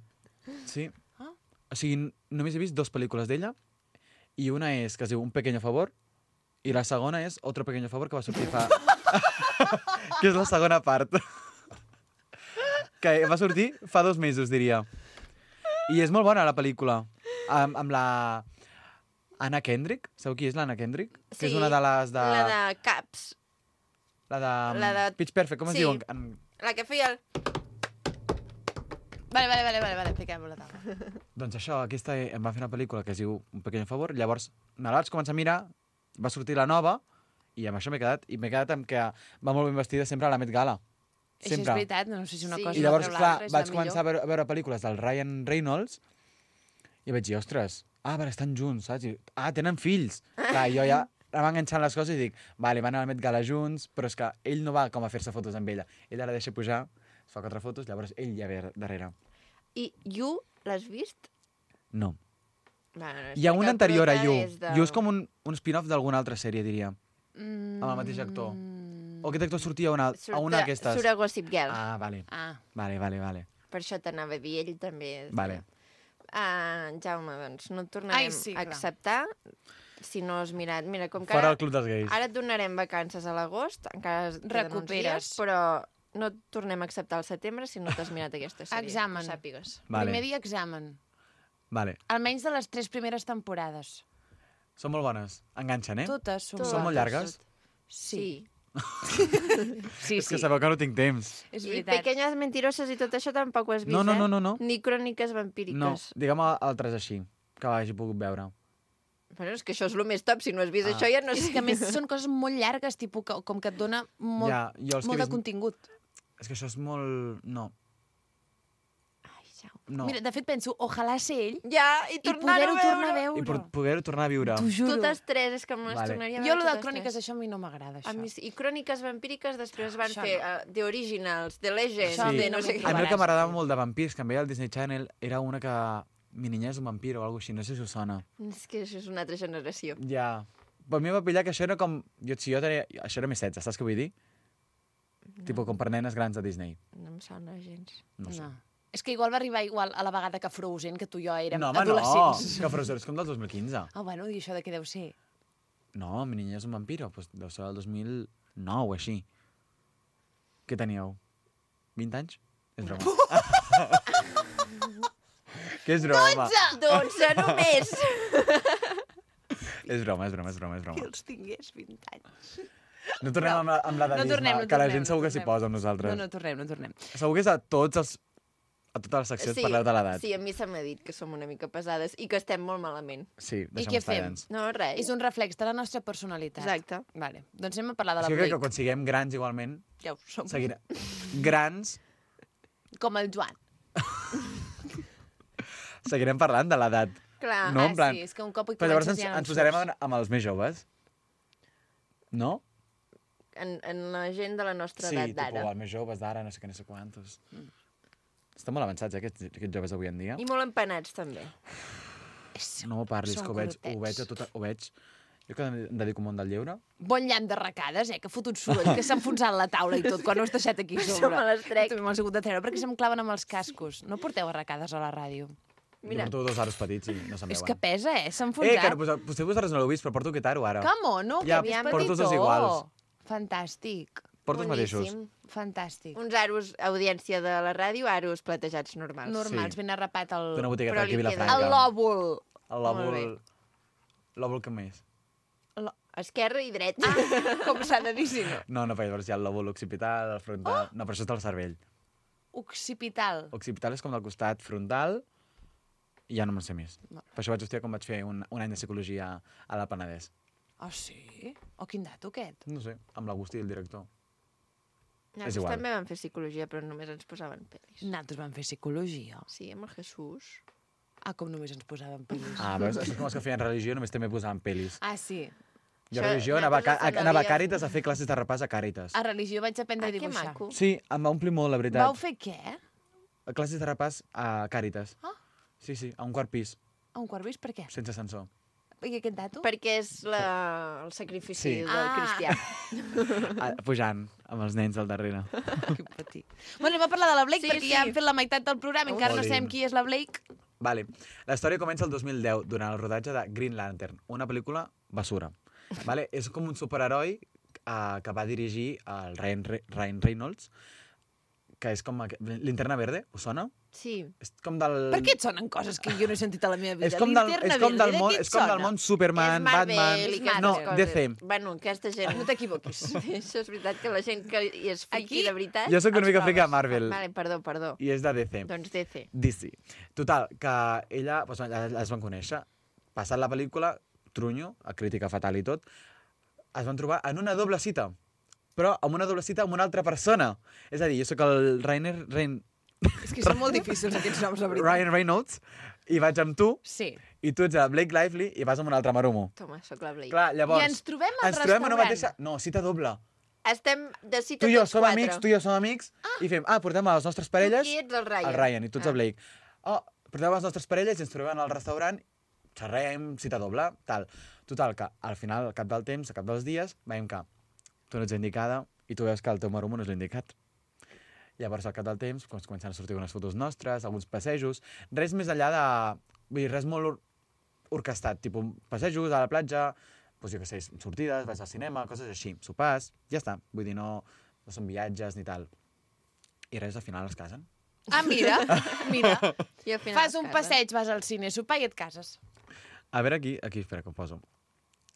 Sí.
Ah.
O sigui, només he vist dues pel·lícules d'ella i una és que es diu Un pequeño favor i la segona és Otro pequeño favor que va sortir fa... que és la segona part. que va sortir fa dos mesos, diria. I és molt bona la pel·lícula. Amb, amb la... Anna Kendrick. Sabeu qui és l'Anna Kendrick? Que és
Sí,
una de les de...
La de Caps.
La de...
la de-
Pitch Perfect, com es
Sí.
diu? En...
La que feia el...
Vale, vale, vale, vale, vale, fiquem-ho a la taula.
Doncs això, aquesta em va fer una pel·lícula que es diu Un pequeño favor, llavors me la vaig començar a mirar, va sortir la nova, i amb això m'he quedat, i m'he quedat amb que va molt ben vestida sempre a la Met Gala.
Això és
Sempre.
veritat, no sé si una
Sí.
cosa
I llavors,
no treu
clar,
l'altra, és
vaig
la
començar a
millor.
veure, a veure pel·lícules del Ryan Reynolds i vaig dir, ostres, ah, però estan junts, saps? I, ah, tenen fills. Clar, jo ja anava enganxant les coses i dic, vale, van a la Met Gala junts, però és que ell no va com a fer-se fotos amb ella. Ell ara deixa pujar, es fa quatre fotos, llavors ell ja ve darrere.
I You, l'has vist?
No.
Va, no,
Hi ha
que
una
el
anterior a
prota
You.
és de-
You és com un, un spin-off d'alguna altra sèrie, diria.
Mm.
Amb el mateix actor. O aquest actor sortia a una, a una
Surt-
d'aquestes.
Surt a Gossip Girl.
Ah, vale.
Ah.
Vale, vale, vale.
Per això t'anava a dir, ell també. És
Vale.
Ah, Jaume, doncs no et tornarem
Ai, sí,
a
clar.
acceptar si no has mirat. Mira, com que
Fora
ara,
el club dels gais.
ara et donarem vacances a l'agost, encara queden uns
Recuperes.
dies, però no et tornem a acceptar al setembre si no t'has mirat aquesta sèrie.
Examen.
Que ho sàpigues.
Vale.
Primer dia examen.
Vale.
Almenys de les tres primeres temporades.
Són molt bones. Enganxen, eh?
Totes són
Són molt
bones.
llargues?
Sí. Sí,
És que
sí.
sabeu que no tinc temps.
És
I
veritat.
Pequeñas Mentiroses i tot això tampoc ho has vist,
No, no,
eh?
no, no, no.
Ni Cròniques Vampíriques.
No, digue'm altres així, que hagi pogut veure.
Bueno, és que això és el més top. Si no has vist
Ah.
això, ja no
És
sé.
que a més són coses molt llargues, tipus, que, com que et dona molt,
Ja, jo els que
molt
he
de
vist-
contingut.
És que això és molt... No. No.
Mira, de fet penso, ojalà ser ell
Ja, i
i
tornar-ho
poder-ho
a
tornar a
veure.
veure.
I per poder-ho tornar a viure.
T'ho juro.
Totes tres, és que me les
Vale.
tornaria a
Jo,
veure
lo de
totes
cròniques,
tres.
això a mi no m'agrada, això.
A mi, sí. I Cròniques Vampíriques després van
Això
fer
no.
uh, The Originals, The Legends,
Això a mi
de
no
no sé
m'ho
què.
A mi el que
trobaràs.
m'agradava molt de vampirs, que em veia al Disney Channel, era una que... Mi niña és un vampir o alguna així, no sé si us sona.
És que això és una altra generació.
Ja. Per mi em va pillar que això era com... Jo, si jo tenia... Això era més setze, saps què vull dir? No. Tipo com per nenes grans de Disney.
No em sona gens.
No sé.
No. És que igual va arribar igual a la vegada que Frozen, que tu i jo érem
No, home,
adolescents.
no! Que Frozen és com del dos mil quinze.
Ah, bueno, i això de què deu ser?
No, mi niña és un vampiro. Pues deu ser del dos mil nou o així. Què teníeu? vint anys? És broma. Què és broma?
Dotze només!
És broma, és broma, és broma, és broma.
Que els tingués vint anys.
No tornem amb, la- amb l'edatisme,
No tornem, no
que la
tornem,
gent segur
no
que s'hi
tornem.
posa amb nosaltres.
No, no, tornem, no tornem.
Segur que és a tots els... A totes les seccions parleu de l'edat.
Sí, a mi se m'ha dit que som una mica pesades i que estem molt malament.
Sí,
I
deixa'm
què
estar,
fem?
doncs.
No, res.
És un reflex de la nostra personalitat.
Exacte.
Vale. Doncs anem a parlar de
És
la
que crec que
Blake.
quan siguem grans igualment,
Ja ho som.
seguirem... Grans,
Com el Joan.
seguirem parlant de l'edat.
Clar.
No,
ah,
en plan...
sí, és que un cop hi
Però llavors
comences
ens,
ja no
ens
en
posarem
surts.
amb, amb els més joves. No?
En, en la gent de la nostra
Sí,
edat
tipus,
d'ara.
els més joves d'ara, no sé què, no sé quantos. Mm. Estan molt avançats, eh, aquests, aquests joves avui en dia.
I molt empanats, també.
No m'ho parlis,
Són
que ho veig, ho
curtets.
veig a tot... Ho veig... Jo que em dedico al món del lleure.
Bon llamp de recades, eh? Que ha fotut soroll, que s'ha enfonsat la taula i tot, quan ho has deixat aquí a
Això
sobre.
me les trec.
També m'ho has hagut de treure, perquè se'm claven amb els cascos. No porteu arracades a la ràdio.
Mira.
Jo porto dos aros petits i no se'n
És
veuen.
que pesa, eh? S'ha
Eh,
enfonsat.
que no, pues, potser vosaltres no l'heu vist, però porto aquest aro ara.
Com, no?
Ja,
que aviam
porto
petitó.
dos iguals.
Fantàstic.
Porto els mateixos.
Boníssim.
Fantàstic.
Uns aros, audiència de la ràdio, aros platejats normals.
Normals,
Sí.
ben arrapat el...
D'una botigueta
Però
d'aquí a
li queda-
Vilafranca.
El lòbul.
El
Molt
lòbul... Lòbul que més?
Esquerra i dret.
Ah, com s'ha de dir, si no.
No, no, perquè llavors hi ha el lòbul occipital, el frontal... Oh! No, però això és del cervell.
Occipital.
Occipital és com del costat frontal i ja no me'n sé més.
No.
Per això vaig estudiar quan vaig fer un, un any de psicologia a la Penedès.
Ah, sí? O quin dato, aquest?
No sé, amb l'Agustí, el director.
Nosaltres
igual.
també vam fer psicologia, però només ens posaven pel·lis.
Nosaltres vam fer psicologia.
Sí, amb el Jesús.
Ah, com només ens posaven pel·lis.
Ah, veus? Això és com els que feien religió, només també posaven pel·lis.
Ah, sí.
Jo a
Això,
religió anava, a, Ca-
nosaltres
anava a
havíem-
Càritas a fer classes de repàs a Càritas.
A religió vaig aprendre
Ah,
a
que
dibuixar.
maco.
Sí, em va omplir molt, la veritat.
Vau fer què?
A classes de repàs a Càritas.
Ah.
Sí, sí, a un quart pis,
A un quart vist? Per què?
sense ascensor.
I aquest dato?
Perquè és la... el sacrifici
Sí.
del
Ah.
cristià.
Ah, pujant, amb els nens al darrere.
Que petit. Bueno, anem a parlar de la Blake,
Sí,
perquè
sí.
ja hem fet la meitat del programa, encara no
Olin.
sabem qui és la Blake.
Vale. La història comença el dos mil deu, durant el rodatge de Green Lantern, una pel·lícula basura. Vale? És com un superheroi uh, que va dirigir el Ryan, Re Ryan Reynolds, que és com... aqu- Linterna Verde, us sona?
Sí.
És com del...
Per què et sonen coses que jo no he sentit a la meva vida?
És com del,
Linterna
és com
Verde,
del
de
món,
què et
és com del
sona?
món Superman,
és Marvel
Batman...
i aquestes
No,
coses.
D C.
Bueno, aquesta gent...
No t'equivoquis.
Això és veritat que la gent que hi és friki
Aquí,
de veritat...
Jo sóc una
els
mica friki de
proves.
Marvel.
Vale, perdó, perdó.
I és de D C.
Doncs D C.
D C. Total, que ella, doncs, allà es van conèixer. Passat la pel·lícula, trunyo, a crítica fatal i tot, es van trobar en una doble cita. Però amb una doble cita amb una altra persona. És a dir, jo sóc el Rainer... Rain...
És que són molt difícils aquests noms, la veritat.
Ryan Reynolds, i vaig amb tu,
Sí.
i tu ets a Blake Lively i vas amb un altre marumo.
Toma, sóc la Blake.
Clar, llavors...
I ens trobem al
ens trobem en una
restaurant.
mateixa... No, cita doble.
Estem de cita
Tu i jo
tots
som
quatre.
amics, tu i jo som amics, ah. i fem, ah, portem a les nostres parelles...
Tu qui ets el Ryan?
El Ryan, i tu ets
Ah.
el Blake. Oh, portem a les nostres parelles i ens trobem al restaurant, xerrem, cita doble, tal. Total, que al final, al cap del temps, al cap dels dies, veiem que tu no ets indicada i tu veus que el teu marumo no és l'indicat. Llavors, al cap del temps, doncs, comencen a sortir unes fotos nostres, alguns passejos, res més enllà de... Vull dir, res molt or orquestat, tipus passejos a la platja, doncs jo què sé, sortides, vaig al cinema, coses així, sopars, ja està. Vull dir, no, no són viatges ni tal. I res, al final es casen.
Ah, mira, mira.
I al final
Fas
es
un
casen.
passeig, vas al cine, sopar i et cases.
A veure aquí, aquí, espera, que ho poso.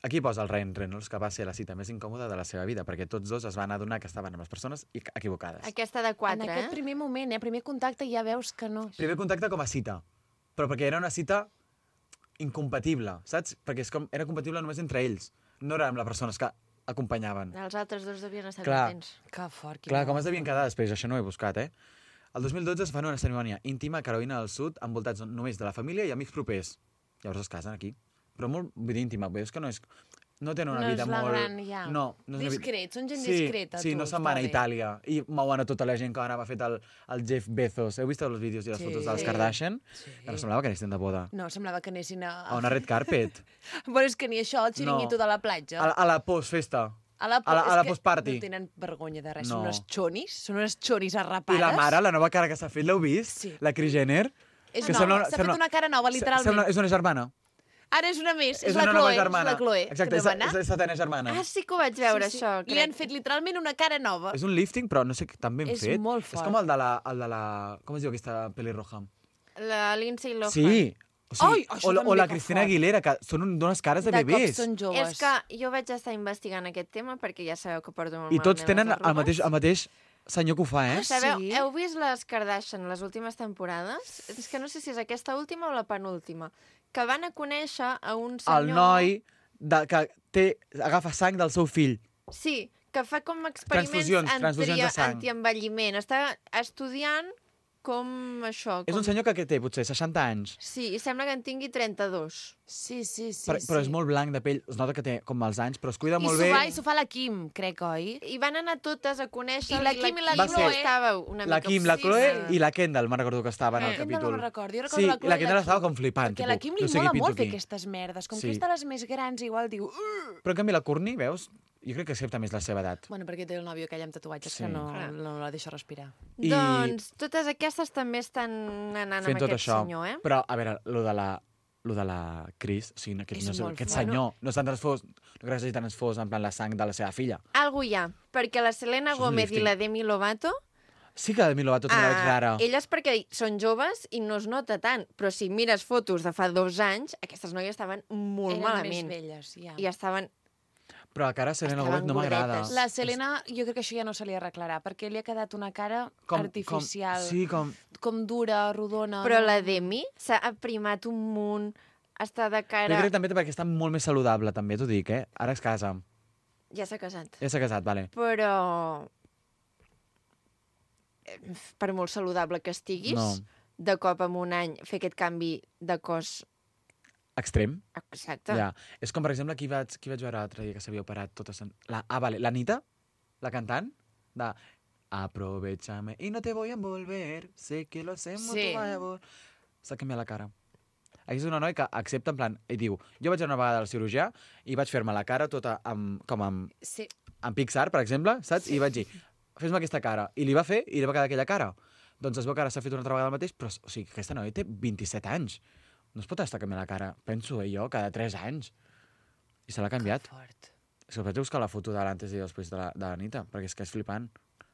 Aquí posa el Ryan Reynolds, que va ser la cita més incòmoda de la seva vida, perquè tots dos es van adonar que estaven amb les persones equivocades.
Aquesta de quatre,
En
eh?
aquest primer moment, eh? Primer contacte, ja veus que no...
Primer contacte com a cita, però perquè era una cita incompatible, saps? Perquè és com, era compatible només entre ells, no era amb les persones que acompanyaven.
Els altres dos devien estar
Clar.
contents.
Que fort.
Clar, com es devien quedar després? Això no ho he buscat, eh? El dos mil dotze es fan una cerimònia íntima a Carolina del Sud, envoltats només de la família i amics propers. Llavors es casen aquí. Però molt vull dir, íntima, veus que no és... No tenen una
No és
vida
la
molt...
gran, ja.
No, no és una vida-
Discret, són gent
sí,
discreta,
Sí,
tu,
no se'n
està
van a
bé.
Itàlia i mouen a tota la gent que anava fet el, el Jeff Bezos. Heu vist els vídeos i les
Sí.
fotos dels Kardashian?
Sí.
Que no semblava que anessin de boda.
No, semblava que anessin a...
A una red carpet.
Bueno, és que ni això, el xiringuito
No.
de la platja.
A la, a la postfesta.
A la,
a la-
és
a la
que
postparty.
No tenen vergonya de res,
No.
són unes xonis, són unes xonis arrapades.
I la mare, la nova cara que s'ha fet, l'heu vist?
Sí.
La Kris Jenner?
És
Que
nova,
sembla-
s'ha
sembla-
fet una cara nova, literalment.
Sembla, és una germana.
Ara és una més, és,
És
la
una nova
Chloe, és
germana.
la Chloe.
Exacte,
que
és,
no va anar.
és la setena germana.
Ah, sí que ho vaig veure,
Sí, sí.
això,
Li
crec.
han fet literalment una cara nova.
És un lifting, però no sé tan ben
És
fet.
molt
És
fort.
com el de la... El de la com es diu aquesta pelirroja?
La Lindsay Lohan.
Sí. O, sigui,
Ai, això
o, la- o
també
la
que
Cristina
fort.
Aguilera, que són un- d'unes cares de,
De cop
bebès.
són joves.
És que jo vaig estar investigant aquest tema perquè ja sabeu que porto molt
I tots
malament
tenen
les
el
arrugues.
mateix, el mateix senyor que ho fa, eh?
Ah,
Sabeu,
sí?
heu vist les Kardashian, les últimes temporades? És que no sé si és aquesta última o la penúltima. Que van a conèixer a un senyor...
El noi de, que té, agafa sang del seu fill.
Sí, que fa com experiments
Transfusions, transfusions de sang.
antienvelliment. Està estudiant com això.
És
Com...
un senyor que, que té potser seixanta anys,
Sí, i sembla que en tingui trenta-dos.
Sí, sí, sí.
però,
sí.
però és molt blanc de pell. Es nota que té com els anys, però es cuida
I
molt
s'ho
bé.
fa, i s'ho fa la Kim, crec, oi?
I van anar totes a conèixer...
I la Kim i la
Va
Chloe
ser
estava una
La
mica
Kim, la Chloe
obsessiva.
i la Kendall, me'n recordo que estaven al
La Kendall
capítol.
no me'n recordo, jo recordo
sí,
la Chloe
i la
i la
Kendall
Kim.
estava com flipant.
Perquè a la
tipus,
Kim li
no sé
mola
qui
molt
pinto
fer
aquí.
aquestes merdes. Com
Sí.
que és de les més grans, igual diu... "Uh".
Però en canvi la Courtney, veus? Jo crec que accepta més la seva edat.
Bueno, perquè té el nòvio aquell amb tatuatges
Sí.
que no,
Clar.
no la deixa respirar.
I-
Doncs totes aquestes també estan anant
Fent
amb
tot
aquest
això.
senyor, eh?
Però, a veure, lo de la, lo de la Cris, o sigui, aquest,
És
no sé,
molt
aquest
fort.
senyor no està transfós, no crec que hagi transfós en plan la sang de la seva filla.
Algo hi ha, perquè la Selena
Això és un
Gomez i
lifting.
la Demi Lovato,
Sí que a Demi Lovato també la veig rara.
elles perquè són joves i no es nota tant, però si mires fotos de fa dos anys, aquestes noies estaven molt
Eren
malament.
més velles, ja.
I estaven...
Però la cara de Selena
Estaven
Gomez no m'agrada.
gordetes.
La Selena, jo crec que això ja no se li arreglarà, perquè li ha quedat una cara
Com-
artificial,
Com, sí, com...
com dura, rodona...
Però
no?
la Demi s'ha aprimat un munt, està de
Jo
cara...
crec també perquè està molt més saludable, també, t'ho dic, eh? Ara es casa.
Ja s'ha casat.
Ja s'ha casat, vale.
Però... eh, per molt saludable que estiguis,
No.
de cop en un any fer aquest canvi de cos...
Extrem.
Exacte.
Ja. És com, per exemple, qui vaig, qui vaig veure l'altre dia que s'havia operat tota... Sen... La, ah, vale, l'Anita, la cantant, de... Aprovechame y no te voy a envolver, sé que lo hacemos
Sí.
tu favor. S'ha canviat la cara. Aquí és una noia que accepta en plan, i diu, jo vaig anar una vegada al cirurgià i vaig fer-me la cara tota amb, com amb,
Sí.
amb Pixar, per exemple, saps? Sí. I vaig dir, fes-me aquesta cara. I li va fer i li va quedar aquella cara. Doncs es veu que ara s'ha fet una altra vegada el mateix, però, o sigui, aquesta noia té vint-i-set anys. No es pot estar canviant la cara, penso eh, jo, cada tres anys. I se l'ha canviat.
Que fort.
És que vaig buscar la foto de l'antes i després de la- de l'Anita, perquè és que és flipant.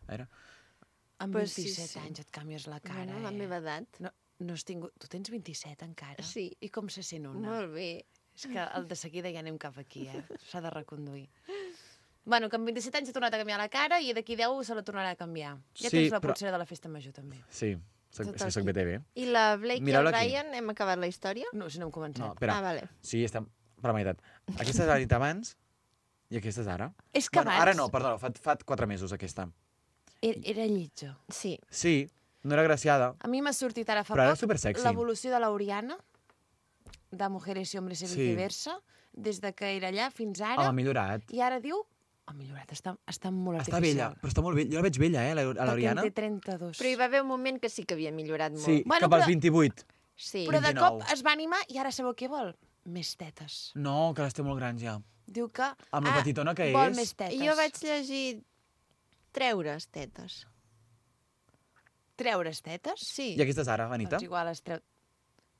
A veure.
Amb
Pues sí,
vint-i-set
sí.
anys et canvies la cara,
Bueno, la
eh?
meva edat.
No, no has tingut... Tu tens vint-i-set encara?
Sí.
I com se sent una?
Molt bé.
És que el de seguida ja anem cap aquí, eh? S'ha de reconduir. Bueno, que amb vint-i-set anys ha tornat a canviar la cara i d'aquí deu se la tornarà a canviar. Ja
Sí,
tens la
però-
pulsera de la festa major, també.
Sí, soc,
Tot
és que soc
aquí.
B T V.
I la Blake
Mireu-la
i el
aquí.
Ryan, hem acabat la història?
No, si no hem començat.
No, espera.
Ah, vale.
Sí, estem per la meitat. Aquesta és l'Anita abans i aquesta és ara.
És que
bueno,
abans...
ara no, perdó, fa, fa quatre mesos aquesta.
Era, era lletja.
Sí.
Sí, no era graciada.
A mi m'ha sortit ara fa
Però ara
poc
és supersexy.
l'evolució de l'Oriana, de Mujeres y Hombres y
Sí.
viceversa, des de que era allà fins ara.
Home, ha millorat.
I ara diu... Ha millorat, està, està molt
Està vella,
artificial.
però està molt vella. Jo la veig vella, eh, la- a
Perquè
l'Oriana.
en té trenta-dos.
Però hi va haver un moment que sí que havia millorat molt.
Sí,
Bueno,
cap als
però-
vint-i-vuit.
Sí.
Però de
vint-i-nou.
cop es va animar i ara sabeu què vol? Més tetes.
No, que les té molt grans ja.
Diu que...
Amb la
Ah,
petitona que
vol
és.
més tetes.
Jo vaig llegir treure's tetes.
Treure's tetes?
Sí.
I aquesta és ara, Anita.
Doncs igual es treu...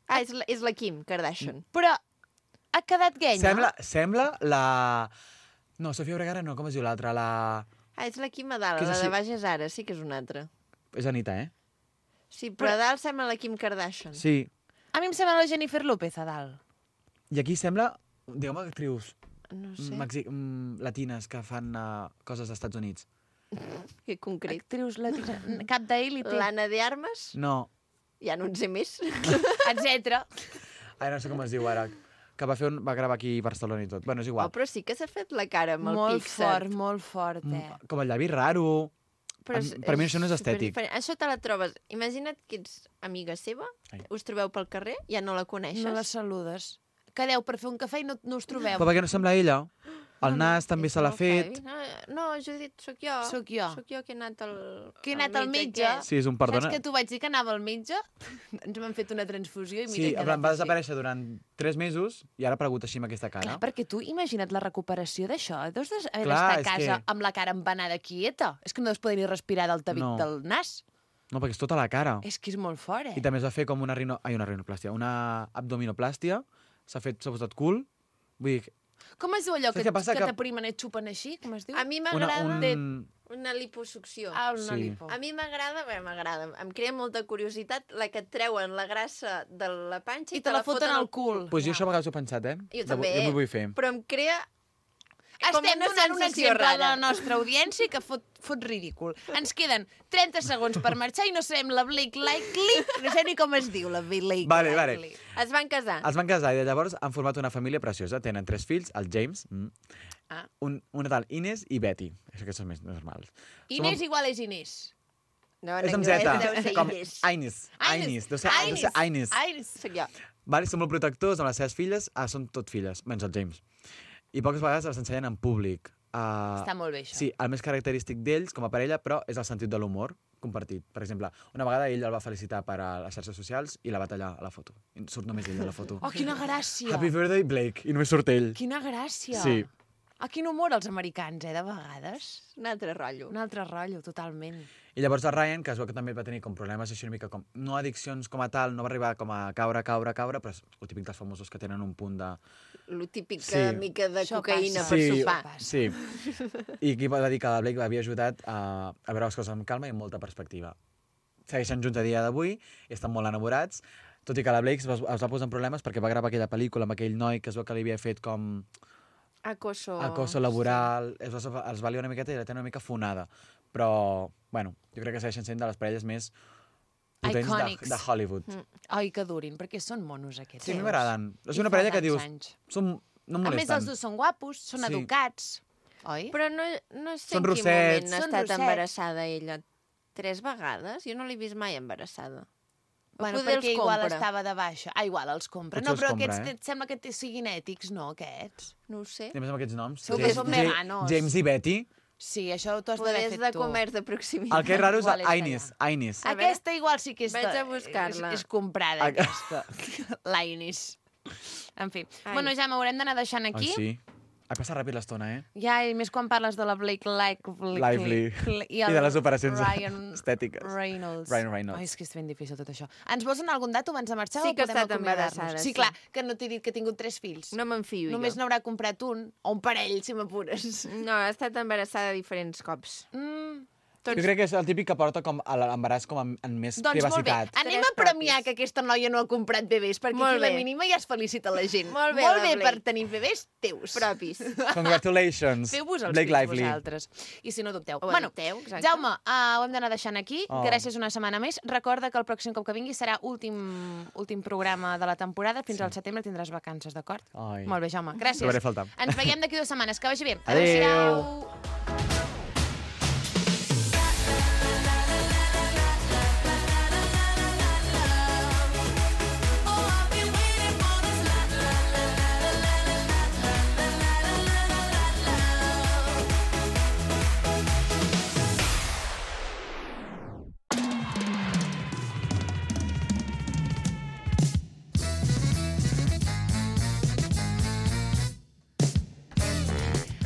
Ah, és la, és la Kim Kardashian.
Però ha quedat genya.
Sembla, sembla la... No, Sofia Vergara no, com es diu l'altra? La...
Ah, és la Kim a dalt,
Que és
la de
així.
baix és ara, sí que és una altra.
És Anita, eh?
Sí, però, però a dalt sembla la Kim Kardashian.
Sí.
A mi em sembla la Jennifer López a dalt.
I aquí sembla, diguem, actrius
No sé.
Mexi... mm, latines que fan uh, coses als Estats Units.
Que concret.
Actrius latines. Cap d'élite.
L'Anna de Armas?
No.
Ja no en sé més.
Etcètera.
Ai, no sé com es diu ara. Que va, fer un... va gravar aquí a Barcelona i tot. Bueno, és igual.
Oh, però sí que s'ha fet la cara amb el
Molt
Pixar.
fort, molt fort, eh?
Mm, Com el llavi raro.
Però
Em- per mi això no és estètic.
superdiferent. Això te la trobes. Imagina't que ets amiga seva,
Ai.
us trobeu pel carrer, ja no la coneixes.
No la saludes. Quedeu per fer un cafè i no, no us trobeu.
Però perquè no sembla ella. El nas també se l'ha fet.
No, no, Judit, sóc jo.
Sóc jo.
Sóc jo que he anat al...
Que he anat al metge.
aquest.
Sí, és un perdona.
Saps que tu vaig dir que anava al metge? Ens m'han fet una transfusió i mira...
Sí,
he
en
quedat
plan, va
així.
desaparèixer durant tres mesos i ara ha aparegut així amb aquesta cara.
Clar, perquè tu imagina't la recuperació d'això. Deus de- haver
Clar,
d'estar a
és
casa
que-
amb la cara empanada quieta. És que no deus poder ni respirar del tabic
No.
del nas.
No, perquè és tota la cara.
És que és molt fort, eh?
I també es va fer com una, rino... Ai, una rinoplàstia, una abdominoplàstia. S'ha fet, s'ha posat cul. Vull dir,
Com es diu allò
Saps
que,
què passa?
que
Que-
t'aprimen i et xupen així? Com es diu?
A mi
una,
m'agrada
un...
una liposucció.
Ah, una
Sí.
lipo.
A mi m'agrada, bé, m'agrada, em crea molta curiositat la que et treuen la grassa de la panxa i,
I te la foten al cul.
Pues jo això a vegades ho he pensat, eh?
Jo
De-
també.
Jo m'ho vull fer.
Però em crea com
Estem
una
donant un
sensació
exemple a
rara.
la nostra audiència que fot, fot ridícul. Ens queden trenta segons per marxar i no sabem la Blake Lively, no sé ni com es diu la Blake
Vale, vale.
Lively.
Es van casar.
Es van casar i de llavors han format una família preciosa. Tenen tres fills, el James, mm,
Ah.
un, una tal Inés i Betty. Això que són més normals.
Inés igual és Inés.
No,
És amb
anglès
Z,
deu ser
com
Inés.
Inés. Inés. Deu ser deu ser Inés.
Inés.
Soc jo.
Vale, són molt protectors amb les seves filles. Ah, són tot filles, menys el James. I poques vegades les ensenyen en públic. Uh,
Està molt bé, això.
Sí, el més característic d'ells, com a parella, però és el sentit de l'humor compartit. Per exemple, una vegada ell el va felicitar per a les xarxes socials i la va tallar a la foto. I surt només ell a la foto.
Oh, quina gràcia.
Happy birthday, Blake. I només surt ell.
Quina gràcia.
Sí.
Ah, quin humor els americans, eh, de vegades.
Un altre rotllo.
Un altre rotllo, totalment.
I llavors el Ryan, que es veu que també va tenir com problemes així una mica com... No addiccions com a tal, no va arribar com a caure, caure, caure, però és el típic dels famosos que tenen un punt de...
Lo típic
Sí.
que mica de
Això
cocaïna
passa.
per
sí,
sopar.
sí. I aquí va dir que la Blake havia ajudat a, a veure les coses amb calma i amb molta perspectiva. Segueixen junts a dia d'avui i estan molt enamorats, tot i que la Blake es va, es va posar en problemes perquè va gravar aquella pel·lícula amb aquell noi que es veu que li havia fet com
Acoso.
acoso laboral, es va, es va liar una miqueta i la té una mica fonada. Però, bueno, jo crec que segueixen sent de les parelles més potents de,
Icònics.
de Hollywood.
Mm. Ai, que durin, perquè són monos aquests.
Sí, a mi
seus.
m'agraden. És
I
una
fa
parella que
tants
dius,
anys.
són, no em
A més,
molesten.
els dos són guapos, són
Sí.
educats, oi?
Però no, no sé
Són
en quin
rossets.
moment ha
Són
estat
rossets.
embarassada ella. Tres vegades? Jo no l'he vist mai embarassada.
Bueno,
Poder
perquè
els
igual
compra.
estava de baixa. Ah, igual els compra.
Potser
No,
els
però
compra,
aquests
eh?
et sembla que te siguin ètics, no, aquests?
No ho sé.
I a més amb aquests noms.
Segur que
James-
són
Ja-
veganos.
James i Betty.
Sí, això t'ho has d'haver
Poders
fet
de
tu.
comerç de proximitat.
El que és raro és
Igual és
Inés. Inés.
A veure,
Aquesta igual sí que és,
vaig
de-
a buscar-la.
és, és comprada,
Ah,
aquesta. L'Ainis. En fi.
Ai.
Bueno, ja m'haurem d'anar deixant aquí.
Ai, sí. Ha passat ràpid l'estona, eh?
Ja, i més quan parles de la Blake Lively.
Lively.
I,
I de les operacions
Ryan
estètiques.
Reynolds.
Ryan Reynolds.
Ai, és que és ben difícil tot això. Ens vols donar algun dato abans de marxar
Sí
o
que ha
podem
estat
acomiadar-nos?
embarassada,
Sí,
sí.
clar, que no t'he dit que ha tingut tres fills.
No me'n fio
Només
jo.
n'haurà comprat un, o un parell, si m'apures.
No, ha estat embarassada diferents cops.
Mm.
Jo crec que és el típic que porta com a l'embaràs com en, en més
Doncs molt bé,
privacitat.
anem
Tres
a premiar
propis.
que aquesta noia no ha comprat bebès, perquè
Molt
aquí la
bé.
mínima ja es felicita la gent.
Molt bé,
molt
la
bé
Blake.
per tenir bebès teus.
Propis.
Congratulations,
Feu-vos els
Blake
fills
Lively.
vosaltres. I si no dubteu.
Ho
bueno,
adopteu, exacte.
Jaume, uh, ho hem d'anar deixant aquí.
Oh.
Gràcies una setmana més. Recorda que el pròxim cop que vingui serà últim, últim programa de la temporada. Fins al setembre tindràs vacances, d'acord?
Ai.
Molt bé, Jaume. Gràcies.
Trobaré a faltar.
Ens veiem d'aquí dues setmanes. Que vagi bé.
Adéu.
Adéu-siau.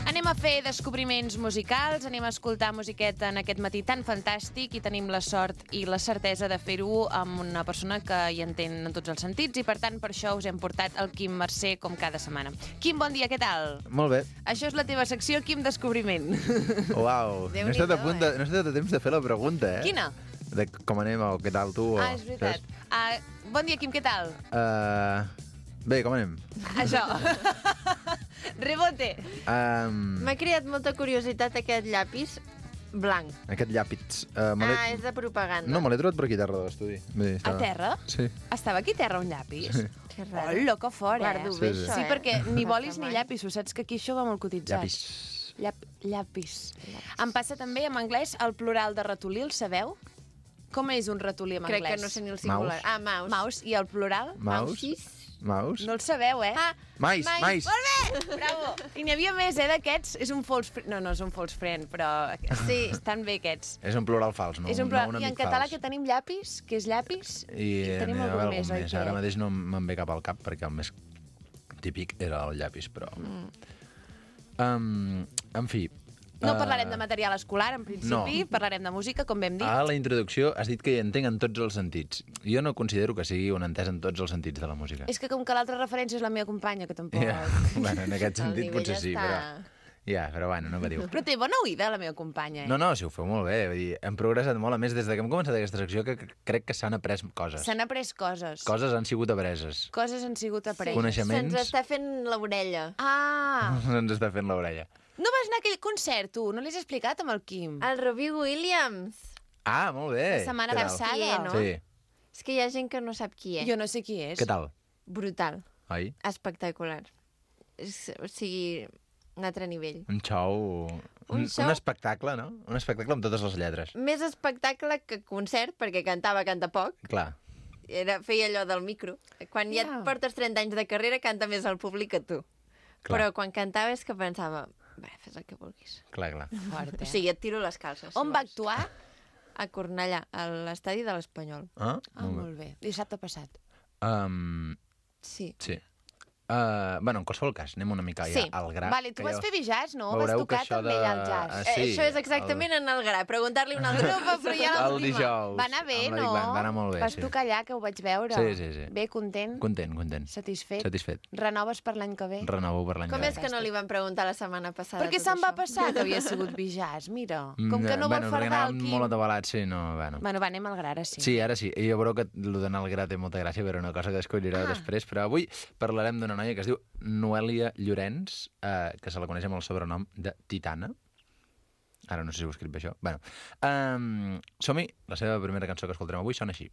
Anem a fer descobriments musicals, anem a escoltar musiqueta en aquest matí tan fantàstic i tenim la sort i la certesa de fer-ho amb una persona que hi entén en tots els sentits i, per tant, per això us hem portat el Quim Mercè com cada setmana. Quim, bon dia, què tal?
Molt bé.
Això és la teva secció, Quim Descobriment.
Uau, no he estat a punt de, no he estat a temps de fer la pregunta, eh?
Quina?
De com anem o què tal tu.
Ah,
o,
és veritat. Uh, bon dia, Quim, què tal?
Uh, bé, com anem?
Això. Rebote.
Um,
M'ha creat molta curiositat aquest llapis blanc.
aquest llàpits... Uh, me l'he-
Ah, és de propaganda.
no, me l'he trobat per aquí a terra de l'estudi. Vull dir,
A
estava-
terra?
Sí.
Estava aquí a terra un llapis?
Sí.
Que raro.
Hola, que fort, eh?
Guardo bé,
Sí, sí.
això,
Sí,
eh?
perquè ni
No
bolis
passa
ni
mai.
llapis, saps que aquí això va molt cotitzat.
Llapis.
Llap, llapis. Em passa també en anglès el plural de ratolí, el sabeu? Com és un ratolí en
Crec
anglès?
que no sé ni el singular.
Mouse.
Ah, mouse.
Mouse. I el plural?
Maus.
Mousis.
Maus.
No el sabeu, eh?
Ah,
Mais,
mais.
mais.
Molt bé! Bravo! I n'hi havia més, eh, d'aquests. És un false friend. No, no és un false friend, però sí, estan bé aquests.
És un plural fals, no,
és un
no
plural.
un
I en
amic
català
fals.
que tenim llapis, que és llapis,
I
tenim
n'hi ha
algun
algun
més, oi
més.
que?
Ara mateix no me'n ve cap al cap, perquè el més típic era el llapis, però...
Mm.
Um, en fi...
No
eh,
parlarem de material escolar, en principi,
no.
parlarem de música, com vam dir.
A la introducció has dit que hi entenc en tots els sentits. Jo no considero que sigui un entès en tots els sentits de la música.
És que com que l'altra referència és la meva companya, que tampoc...
Ja, bueno, en aquest
El
sentit
nivell
potser sí,
està-
però... Ja, però bueno, no patiu.
Però té bona oïda, la meva companya, eh?
No, no, si ho feu molt bé. Vull dir, hem progressat molt. A més, des de que hem començat aquesta secció, que que crec que s'han après coses.
S'han après coses.
Coses han sigut apreses.
Coses han sigut apreses.
Coneixements.
Se'ns està fent l'orella.
Ah!
Ens està fent l'orella.
No vas anar a aquell concert, tu? No l'has explicat amb el Quim?
El Robbie Williams.
Ah, molt bé.
La setmana
Què tal?
passada.
Qui és, no?
Sí.
És que hi ha gent que no sap qui és.
Jo no sé qui és.
Què tal?
Brutal.
Oi?
Espectacular. És, o sigui, un altre nivell.
Un show...
Un
Un,
show-
un espectacle, no? Un espectacle amb totes les lletres.
Més espectacle que concert, perquè cantava, canta poc.
Clar.
Era, feia allò del micro. Quan ja
Ja.
et portes trenta anys de carrera, canta més el públic que tu.
Clar.
Però quan cantava és que pensava, bé, fes el que vulguis.
Clar, clar.
Fort,
O
eh?
sigui, et tiro les calces.
On
si
va
vols.
actuar?
A Cornellà, a l'estadi de l'Espanyol.
Ah,
Ah, molt bé. Dissabte passat.
Um,
Sí.
sí. Uh, bueno, en qualsevol cas, anem una mica ja
Sí.
al gra.
Vale, tu
que
vas
ja
fer jazz, no? Vas
veureu que
tocar
això
també
de-
allà al jazz.
Ah,
Eh,
sí,
Això és exactament en el gra. Preguntar-li a una altra grupa, però ja
El
l'última.
dijous.
Va anar bé,
amb la
no?
Big Band, va anar molt bé,
Vas
sí.
tocar allà, que ho vaig veure.
Sí, sí, sí.
Bé, content?
Content, content.
Satisfet?
Satisfet.
Renoves per l'any que ve?
Renovo per l'any
Com
que
és que no li van preguntar la setmana passada
Perquè
tot
se'n va
això?
passar que havia sigut bijàs, mira.
Mm,
Com que no vol
bueno, perquè
fardar el
anàvem
Quim.
molt atabalats, sí, no, bueno.
Bueno, va, anem al gra, ara sí.
Sí, ara sí. I jo veureu que el d'anar al gra té molta gràcia, però una cosa que descobrireu
Ah.
després. Però avui parlarem d'una noia que es diu Noelia Llorenç, eh, que se la coneix amb el sobrenom de Titana. Ara no sé si ho he escrit bé, això. Bueno, um, som-hi. La seva primera cançó que escoltarem avui sona així.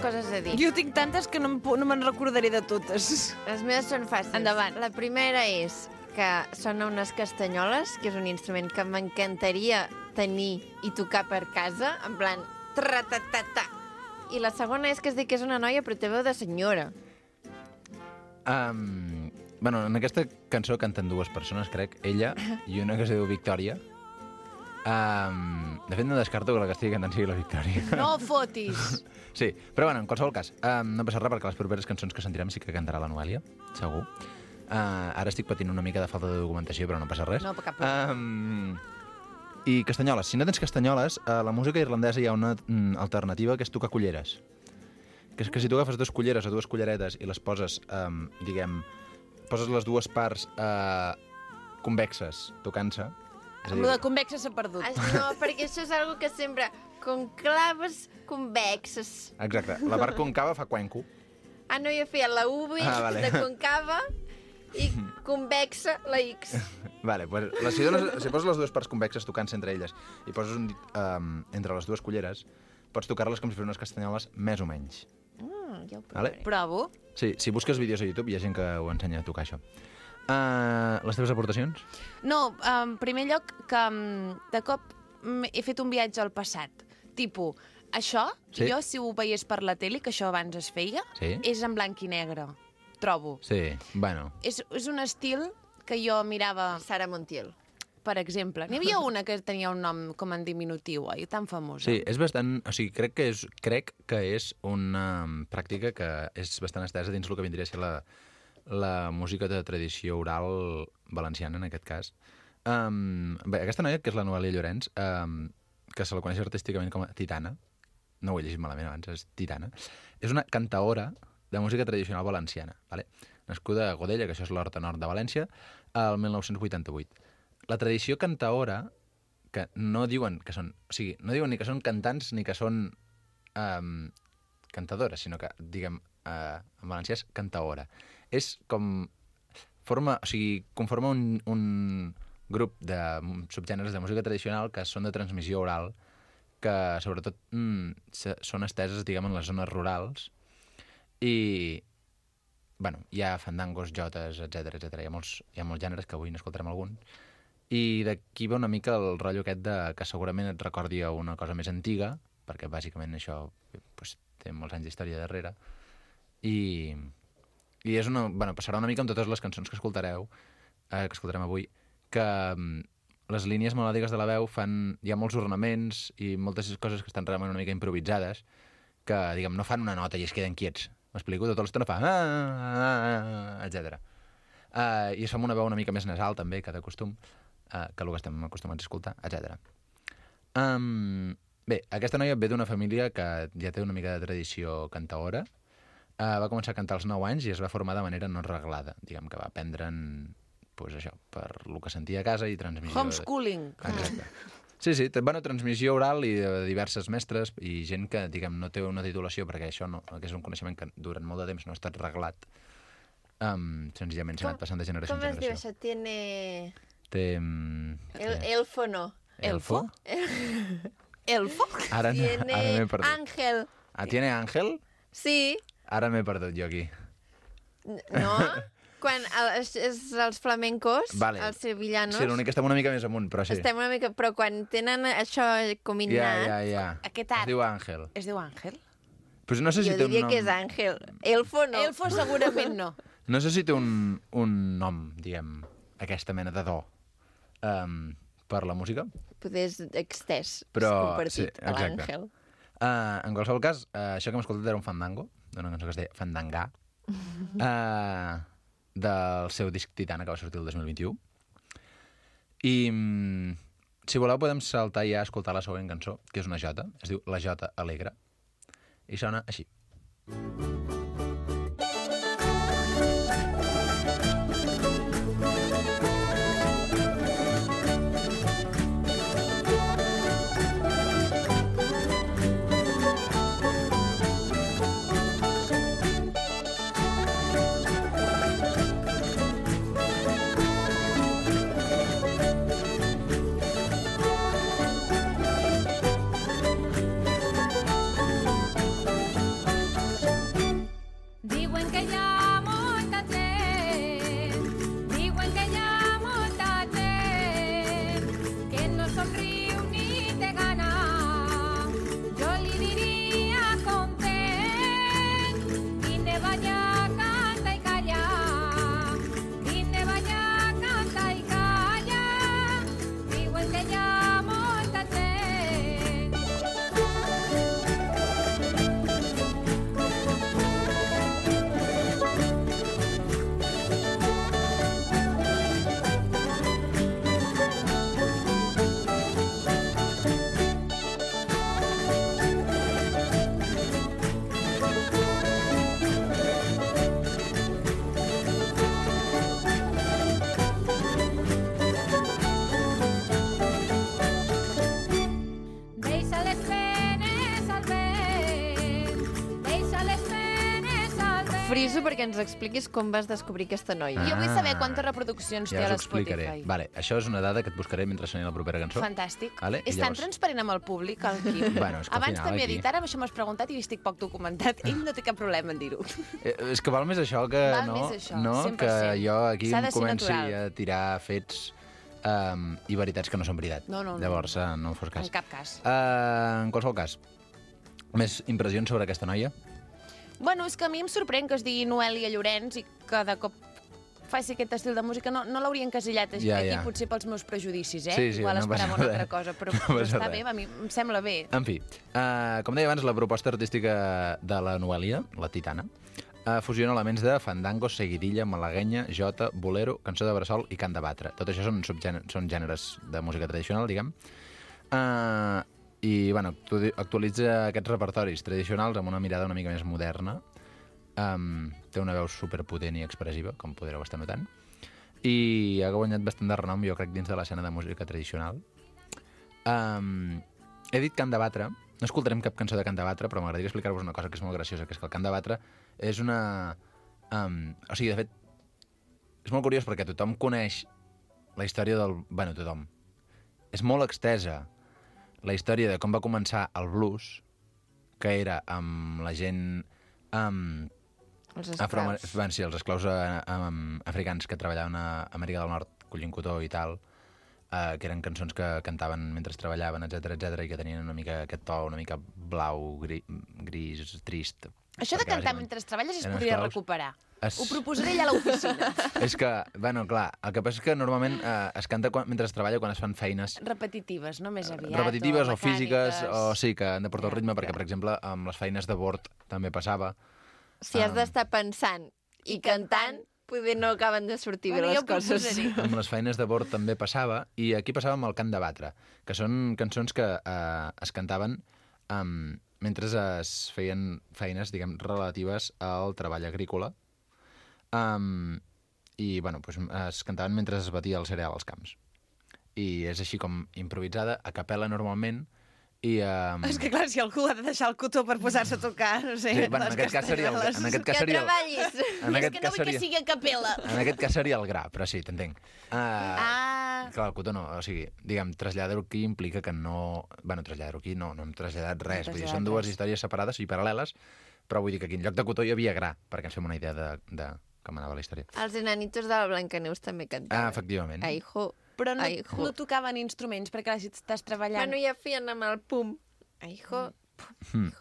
coses a dir.
Jo tinc tantes que no, em pu- no me'n recordaré de totes.
Les meves són fàcils.
Endavant.
La primera és que sona unes castanyoles, que és un instrument que m'encantaria tenir i tocar per casa, en plan... Tra-ta-ta-ta. I la segona és que es diu que és una noia, però té veu de senyora.
Um, Bueno, en aquesta cançó canten dues persones, crec, ella i una que es diu Victòria. Um, de fet, no descarto que la que estigui cantant sigui la Victòria.
No fotis!
Sí, però bueno, en qualsevol cas, um, no passa res perquè les properes cançons que sentirem sí que cantarà la Noèlia, segur. Uh, ara estic patint una mica de falta de documentació, però no passa res.
No, cap problema.
Um, I castanyoles. Si no tens castanyoles, a la música irlandesa hi ha una mm, alternativa que és tocar culleres. Que és que si tu agafes dues culleres o dues culleretes i les poses, um, diguem, poses les dues parts uh, convexes tocant-se.
Amb lo de convexa s'ha perdut.
Ah, no, perquè això és algo que sempre... Conclaves convexes.
Exacte. La part concava fa cuenco.
Ah, no, jo feia la V
Ah, vale.
de concava i convexa la X.
Vale, pues, la, si, dones, si poses les dues parts convexes tocant-se entre elles i poses un dit um, entre les dues culleres, pots tocar-les com si fossin unes castanyoles més o menys.
Mm, ja ho
Vale?
Provo.
Sí, si busques vídeos a YouTube hi ha gent que ho ensenya a tocar, això. Uh, les teves aportacions?
No, en primer lloc, que um, de cop mm, he fet un viatge al passat. Tipo, això,
Sí.
jo si ho veiés per la tele, que això abans es feia,
Sí.
és en blanc i negre, trobo.
Sí, bueno.
És, és un estil que jo mirava...
Sara Montiel.
Per exemple. N'hi havia una que tenia un nom com en diminutiu, oi? Tan famosa.
Sí, és bastant... O sigui, crec que és, crec que és una pràctica que és bastant estesa dins el que vindria a ser la, la música de tradició oral valenciana, en aquest cas. Um, bé, aquesta noia, que és la Noèlia Llorenç, um, que se la coneix artísticament com a Titana, no ho he llegit malament abans, és Titana, és una cantaora de música tradicional valenciana, vale? Nascuda a Godella, que això és l'Horta Nord de València, el mil nou-cents vuitanta-vuit. La tradició cantaora, que no diuen que són... O sigui, no diuen ni que són cantants ni que són um, cantadores, sinó que, diguem, uh, en valencià és cantaora. És com... Forma, o sigui, conforma un, un grup de subgèneres de música tradicional que són de transmissió oral, que sobretot mm, són esteses, diguem, en les zones rurals, i, bueno, hi ha fandangos, jotes, etcètera, etcètera. Hi ha molts, hi ha molts gèneres que avui n'escoltarem algun. I d'aquí ve una mica el rotllo aquest de que segurament et recordi a una cosa més antiga, perquè bàsicament això pues, té molts anys d'història darrere, i, i és una, bueno, passarà una mica amb totes les cançons que escoltareu, eh, que escoltarem avui, que um, les línies melòdiques de la veu fan... Hi ha molts ornaments i moltes coses que estan realment una mica improvisades, que, diguem, no fan una nota i es queden quiets. M'explico? Tota l'estona fa... Ah, ah, ah, etcètera. Uh, I es fa amb una veu una mica més nasal, també, que de costum, uh, que el que estem acostumats a escoltar, etcètera. Um, bé, aquesta noia ve d'una família que ja té una mica de tradició cantaora. Uh, va començar a cantar als nou anys i es va formar de manera no reglada. Diguem que va aprendre'n, pues això, per el que sentia a casa i transmissió...
Homeschooling.
Exacte. Sí, sí, bueno, transmissió oral i de diverses mestres i gent que, diguem, no té una titulació perquè això no, que és un coneixement que durant molt de temps no ha estat reglat. Um, senzillament s'ha anat passant de generació en
Com es diu
generació.
això? Tiene...
Té... Um,
El, elfo no.
Elfo?
Elfo?
Ara, no-
Tiene
ara m'he perdut.
Ángel.
Ah, tiene Ángel?
Sí.
Ara m'he perdut jo aquí.
No? Quan el, és, és els flamencos,
Vale.
els sevillanos,
Sí, l'únic que estem una mica més amunt, però sí.
estem una mica... Però quan tenen això combinat...
Ja, ja, ja.
Aquest
Es
art.
diu Àngel.
Es diu Àngel?
Pues no sé si
jo
té un
diria
nom...
que és Àngel. Elfo no.
Elfo segurament no.
No sé si té un, un nom, diguem, aquesta mena de do um, per la música.
Poder és extès,
Però,
compartit,
sí,
a
exacte.
l'Àngel.
Uh, en qualsevol cas, uh, això que hem escoltat era un fandango, d'una cançó que es deia Fandangà, uh, del seu disc Titana, que va sortir el dos mil vint-i-u. I, um, si voleu, podem saltar ja a escoltar la següent cançó, que és una jota, es diu La Jota Alegre, i sona així.
friso perquè ens expliquis com vas descobrir aquesta noia.
Jo vull
Ah.
saber quantes reproduccions
Ja
té a
us ho explicaré.
l'Spotify.
Vale, això és una dada que et buscaré mentre soni la propera cançó.
Fantàstic.
Vale? I
És tan
llavors-
transparent amb el públic, el Quim.
Bueno, és que al
Abans
final
també
aquí-
he dit, ara això m'has preguntat i estic poc documentat. Ell no té cap problema en dir-ho.
Eh, és que val més això que
Val
no,
més això,
no
cent per
que
cent.
jo aquí
S'ha de
em
ser
comenci
natural.
a tirar fets um, i veritats que no són veritat.
No, no, no.
Llavors, uh, no em fos cas.
En cap cas.
Uh, en qualsevol cas, més impressions sobre aquesta noia?
Bueno, és que a mi em sorprèn que es digui Noelia Llorenç i que de cop faci aquest estil de música. No, no l'hauria encasillat aquí,
Ja,
aquí
ja.
potser pels meus prejudicis, eh?
Sí, sí,
Igual
no
esperava
passa
una altra
res.
cosa, però,
No
però
passa
està
res.
bé, a mi em sembla bé.
En fi, uh, com deia abans, la proposta artística de la Noelia, la Titana, uh, fusiona elements de fandango, seguidilla, malaguenya, jota, bolero, cançó de bressol i cant de batre. Tot això són, subgèneres, són gèneres de música tradicional, diguem. Uh, I, bueno, actu- actualitza aquests repertoris tradicionals amb una mirada una mica més moderna. Um, té una veu superpotent i expressiva, com podreu estar notant. I ha guanyat bastant de renom, jo crec, dins de l'escena de música tradicional. Um, he dit cant de batre. No escoltarem cap cançó de cant de batre, però m'agradaria explicar-vos una cosa que és molt graciosa, que és que el cant de batre és una... Um, o sigui, de fet, és molt curiós perquè tothom coneix la història del... Bueno, tothom. És molt extesa la història de com va començar el blues, que era amb la gent... Um,
Els
Afroamer...
esclaus.
Van ser els esclaus eh, um, africans que treballaven a Amèrica del Nord, collint cotó i tal, eh, que eren cançons que cantaven mentre treballaven, etc etc i que tenien una mica aquest to, una mica blau, gri, gris, trist.
Això de
perquè
cantar
bàsicament
mentre treballes es
eren
podria
esclaus.
recuperar.
Es-
Ho proposaré ja a l'oficina.
És que, bueno, clar, el que passa és que normalment eh, es canta quan, mentre es treballa quan es fan feines
Repetitives, no més aviat.
repetitives o,
o
físiques,
mecàniques.
o sí, que han de portar el ritme, perquè, per exemple, amb les feines de bord també passava.
Si has d'estar pensant i cantant, poder no acaben de sortir bé
Bueno,
les
jo ho
coses.
proposaré.
Amb les feines de bord també passava, i aquí passava amb el cant de batre, que són cançons que eh, es cantaven um, mentre es feien feines, diguem, relatives al treball agrícola, um, i, bueno, pues, es cantaven mentre es batia el cereal als camps. I és així com improvisada, a capella normalment, i... Um...
És que clar, si algú ha de deixar el cotó per posar-se a tocar, no sé,
Sí, bueno, en
les
aquest cas seria el-
castanyoles.
en aquest cas
Que
seria el-
treballis.
en
És
aquest
que no
cas
vull que
seria-
sigui a capella.
En aquest cas seria el gra, però sí, t'entenc. Uh,
Ah.
Clar, el cotó no, o sigui, diguem, traslladar-ho aquí implica que no... Bueno, traslladar-ho aquí no, no hem traslladat res,
No
vull dir,
traslladat
són dues
res.
històries separades i paral·leles, però vull dir que aquí en lloc de cotó hi havia gra, perquè ens fem una idea de, de com anava la història.
Els enanitos de la Blancaneus també cantaven.
Ah, efectivament.
Aijo.
Però no,
Aijo.
no tocaven instruments, perquè clar, si estàs treballant...
Bueno, ja feien amb el pum. Aijo.
Mm.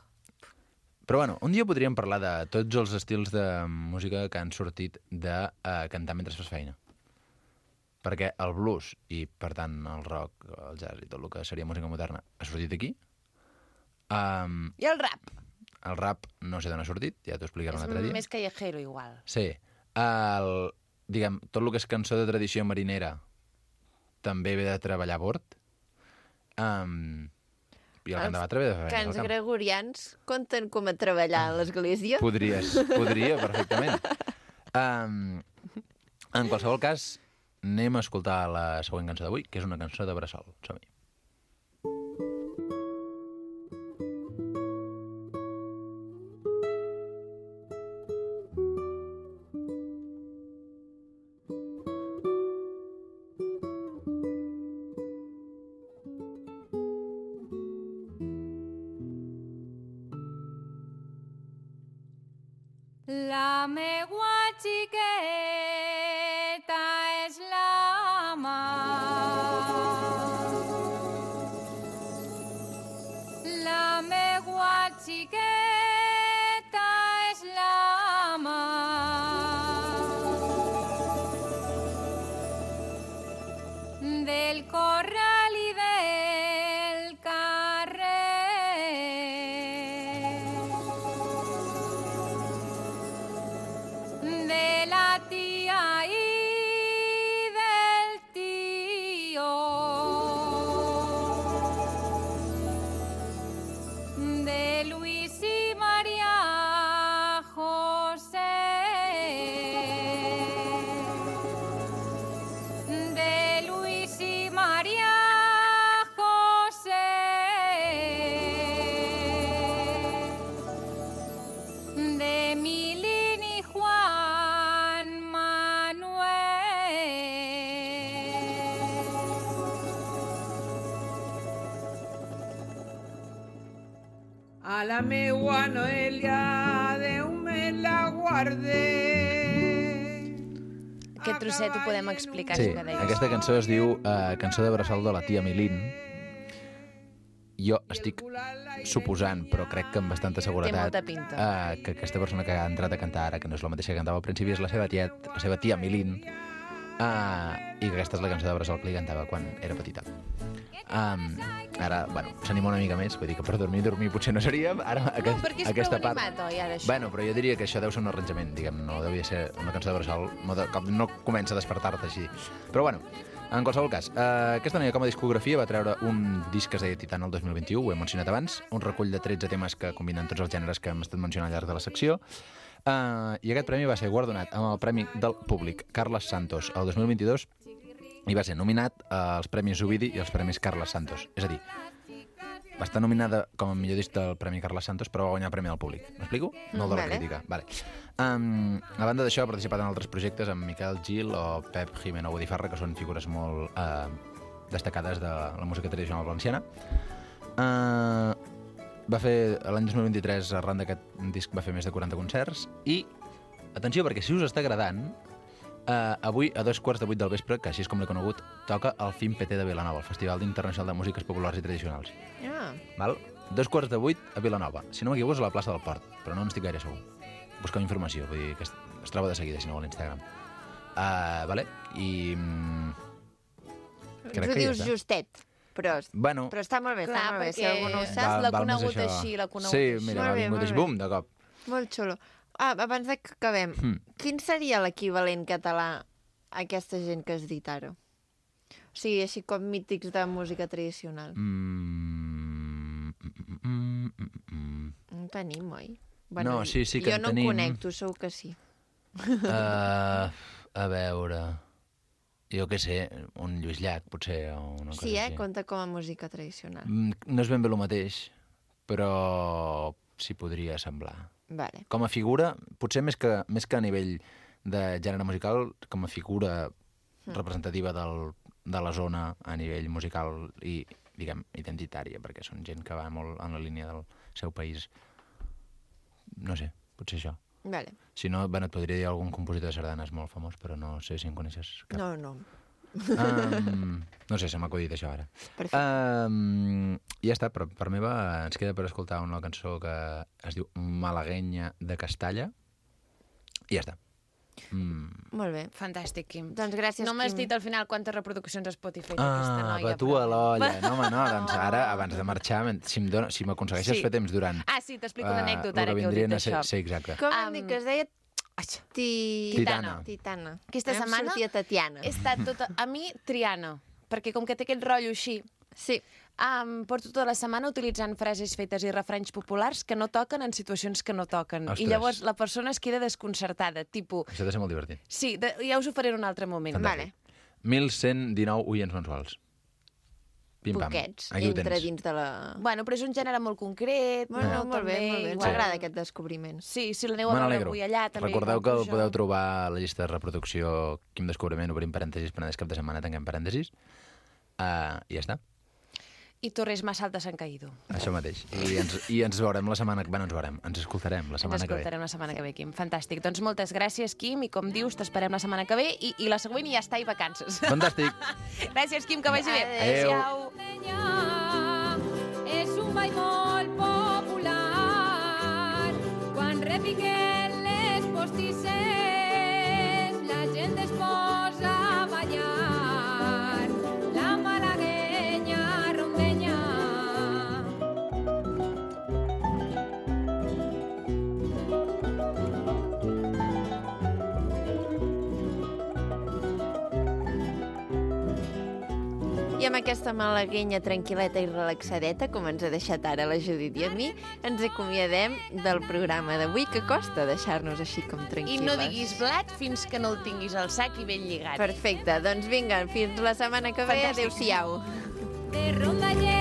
Però bueno, un dia podríem parlar de tots els estils de música que han sortit de uh, cantar mentre fas feina. Perquè el blues i, per tant, el rock, el jazz i tot el que seria música moderna ha sortit aquí. Um,
I el rap?
el rap no sé d'on ha sortit, ja t'ho explicaré un altre
És
dia.
més callejero, igual.
Sí. El, diguem, tot el que és cançó de tradició marinera també ve de treballar a bord. Um, I el cant de batre ve de fer feina al
Cants
camp.
gregorians compten com a treballar a l'església?
Podries, podria, perfectament. Um, en qualsevol cas, anem a escoltar la següent cançó d'avui, que és una cançó de bressol. Som-hi.
La meua xiqueta és la mar. La meua xiqueta és la mar. Del corral i del carrer. De la tia i del tio, de Luis i Maria José, de Luis i Maria
a la meua Noelia, Déu me la guarde.
Aquest trosset ho podem explicar,
Sí,
si que deies.
aquesta cançó es diu uh, Cançó de Bressol de la tia Milín. Jo estic suposant, però crec que amb bastanta seguretat,
molta pinta.
Uh, que aquesta persona que ha entrat a cantar ara, que no és la mateixa que cantava al principi, és la seva, tiet, la seva tia Milín, uh, i que aquesta és la cançó de Bressol que li cantava quan era petita. Um, ara, bueno, s'anima una mica més, vull dir que per dormir, dormir potser no seríem. Ara, aquest,
No, perquè és
aquesta
prou
part...
animat, oi, ara, això?
Bueno, però jo diria que això deu ser un arranjament, diguem, no devia ser una cançó de Bressol, no, de, com no comença a despertar-te així. Però bueno, en qualsevol cas, eh, aquesta noia com a discografia va treure un disc que es deia Titana el dos mil vint-i-u, ho he mencionat abans, un recull de tretze temes que combinen tots els gèneres que hem estat mencionant al llarg de la secció, eh, i aquest premi va ser guardonat amb el Premi del Públic Carles Santos el dos mil vint-i-dos i va ser nominat als Premis Ovidi i als Premis Carles Santos. És a dir, va estar nominada com a millor disc del Premi Carles Santos, però va guanyar el Premi del Públic. M'explico? No el de la
Vale.
crítica. Vale. Um, a banda d'això, ha participat en altres projectes amb Miquel Gil o Pep Jimeno Botifarra, que són figures molt uh, destacades de la música tradicional valenciana. Uh, va fer, l'any dos mil vint-i-tres, arran d'aquest disc, va fer més de quaranta concerts i, atenció, perquè si us està agradant, Uh, avui, a dos quarts de vuit del vespre, que així és com l'he conegut, toca el F I M P T de Vilanova, el Festival Internacional de Músiques Populars i Tradicionals.
Ah.
Val? Dos quarts de vuit a Vilanova. Si no m'equivoco, és a la plaça del Port, però no n'estic gaire segur. Busqueu informació, vull dir que es, es troba de seguida, si no vol, a Instagram. Uh, vale? I... Mm,
Tu dius justet, però,
Bueno,
però està molt bé,
Clar,
està molt bé. Si
perquè
algú no ho sap,
Val- l'ha
val més
conegut
això.
així, l'ha conegut
Sí,
així.
mira,
Molt
va
bé,
vingut
molt
així,
bé.
bum, de cop.
molt xulo. Ah, abans de que acabem,
Hmm.
quin seria l'equivalent català a aquesta gent que has dit ara? O sigui, així com mítics de música tradicional.
Mm, mm, mm, mm, mm.
No en tenim, oi?
No, sí, sí que
jo
en
no
tenim.
en conec, tu segur que sí.
Uh, a veure... Jo què sé, un Lluís Llach, potser, o una cosa
Sí, eh?
així.
Compta com a música tradicional.
Mm, No és ben bé el mateix, però s'hi podria semblar.
Vale.
Com a figura, potser més que, més que a nivell de gènere musical, com a figura
Mm.
representativa del, de la zona a nivell musical i, diguem, identitària, perquè són gent que va molt en la línia del seu país. No sé, potser això.
Vale.
Si no, bueno, et podria dir algun compositor de sardanes molt famós, però no sé si en coneixes cap.
No, no.
Um, no sé, se m'ha acudit això ara.
Perfecte.
Um, I ja està, però per meva ens queda per escoltar una cançó que es diu Malaguenya de Castalla i ja està. Mm.
Molt bé.
Fantàstic, Quim.
Doncs gràcies,
No m'has
Quim.
dit al final quantes reproduccions a Spotify té aquesta
Ah,
noia.
va tu a l'olla. No, home, no, doncs ara, abans de marxar, si m dona- si m'aconsegueixes
Sí.
fer temps durant...
Ah, sí, t'explico una
eh,
anècdota ara
lo
que heu dit
vindrien a ser-
això.
Sí, exacte.
Com hem dit que es deia? Ti...
Titana.
Titana.
Aquesta
Vam
setmana
sortir a Tatiana.
he estat tota... A mi, Triana, perquè com que té aquest rotllo així,
sí.
um, porto tota la setmana utilitzant frases fetes i refranys populars que no toquen en situacions que no toquen.
Ostres.
I llavors la persona es queda desconcertada, tipus...
Això ha de ser molt divertit.
Sí, de, ja us ho faré en un altre moment.
Fantàstic. mil cent dinou oients mensuals. Pim-pam.
Poquets,
Aquí ho
entre
tens.
dins de la...
Bueno, però és un gènere molt concret.
Bueno,
no,
molt bé,
també,
molt bé. Ens
igual.
agrada aquest descobriment.
Sí, si l'aneu a
Me
veure
n'alegro.
avui allà, també.
Recordeu que
igual
el
jo.
podeu trobar a la llista de reproducció Quim Descobriment, obrim parèntesis, Penedès cap de setmana, tanquem parèntesis. Uh, I ja està.
I Torres Massal de Sant Caído.
Això mateix. I ens, I ens veurem la setmana que... Bueno, ens veurem. Ens escoltarem la
Ens
setmana que ve.
escoltarem la setmana que ve, Quim. Fantàstic. Doncs moltes gràcies, Quim, i com dius, t'esperem la setmana que ve i, i la següent ja està, i vacances.
Fantàstic.
Gràcies, Quim, que vagi bé.
Adéu.
Adéu.
És un ball molt popular. Quan repiquen les postisses, la gent es posa a ballar. La malaguenya rondenya.
I amb aquesta malaguenya tranquil·leta i relaxadeta, com ens ha deixat ara la Judit i a mi, ens acomiadem del programa d'avui, que costa deixar-nos així com
I
tranquil·les.
no diguis blat fins que no el tinguis al sac i ben lligat.
Perfecte, doncs vinga, fins la setmana que ve.
Fantàstic.
Adéu-siau.
De ronda llena.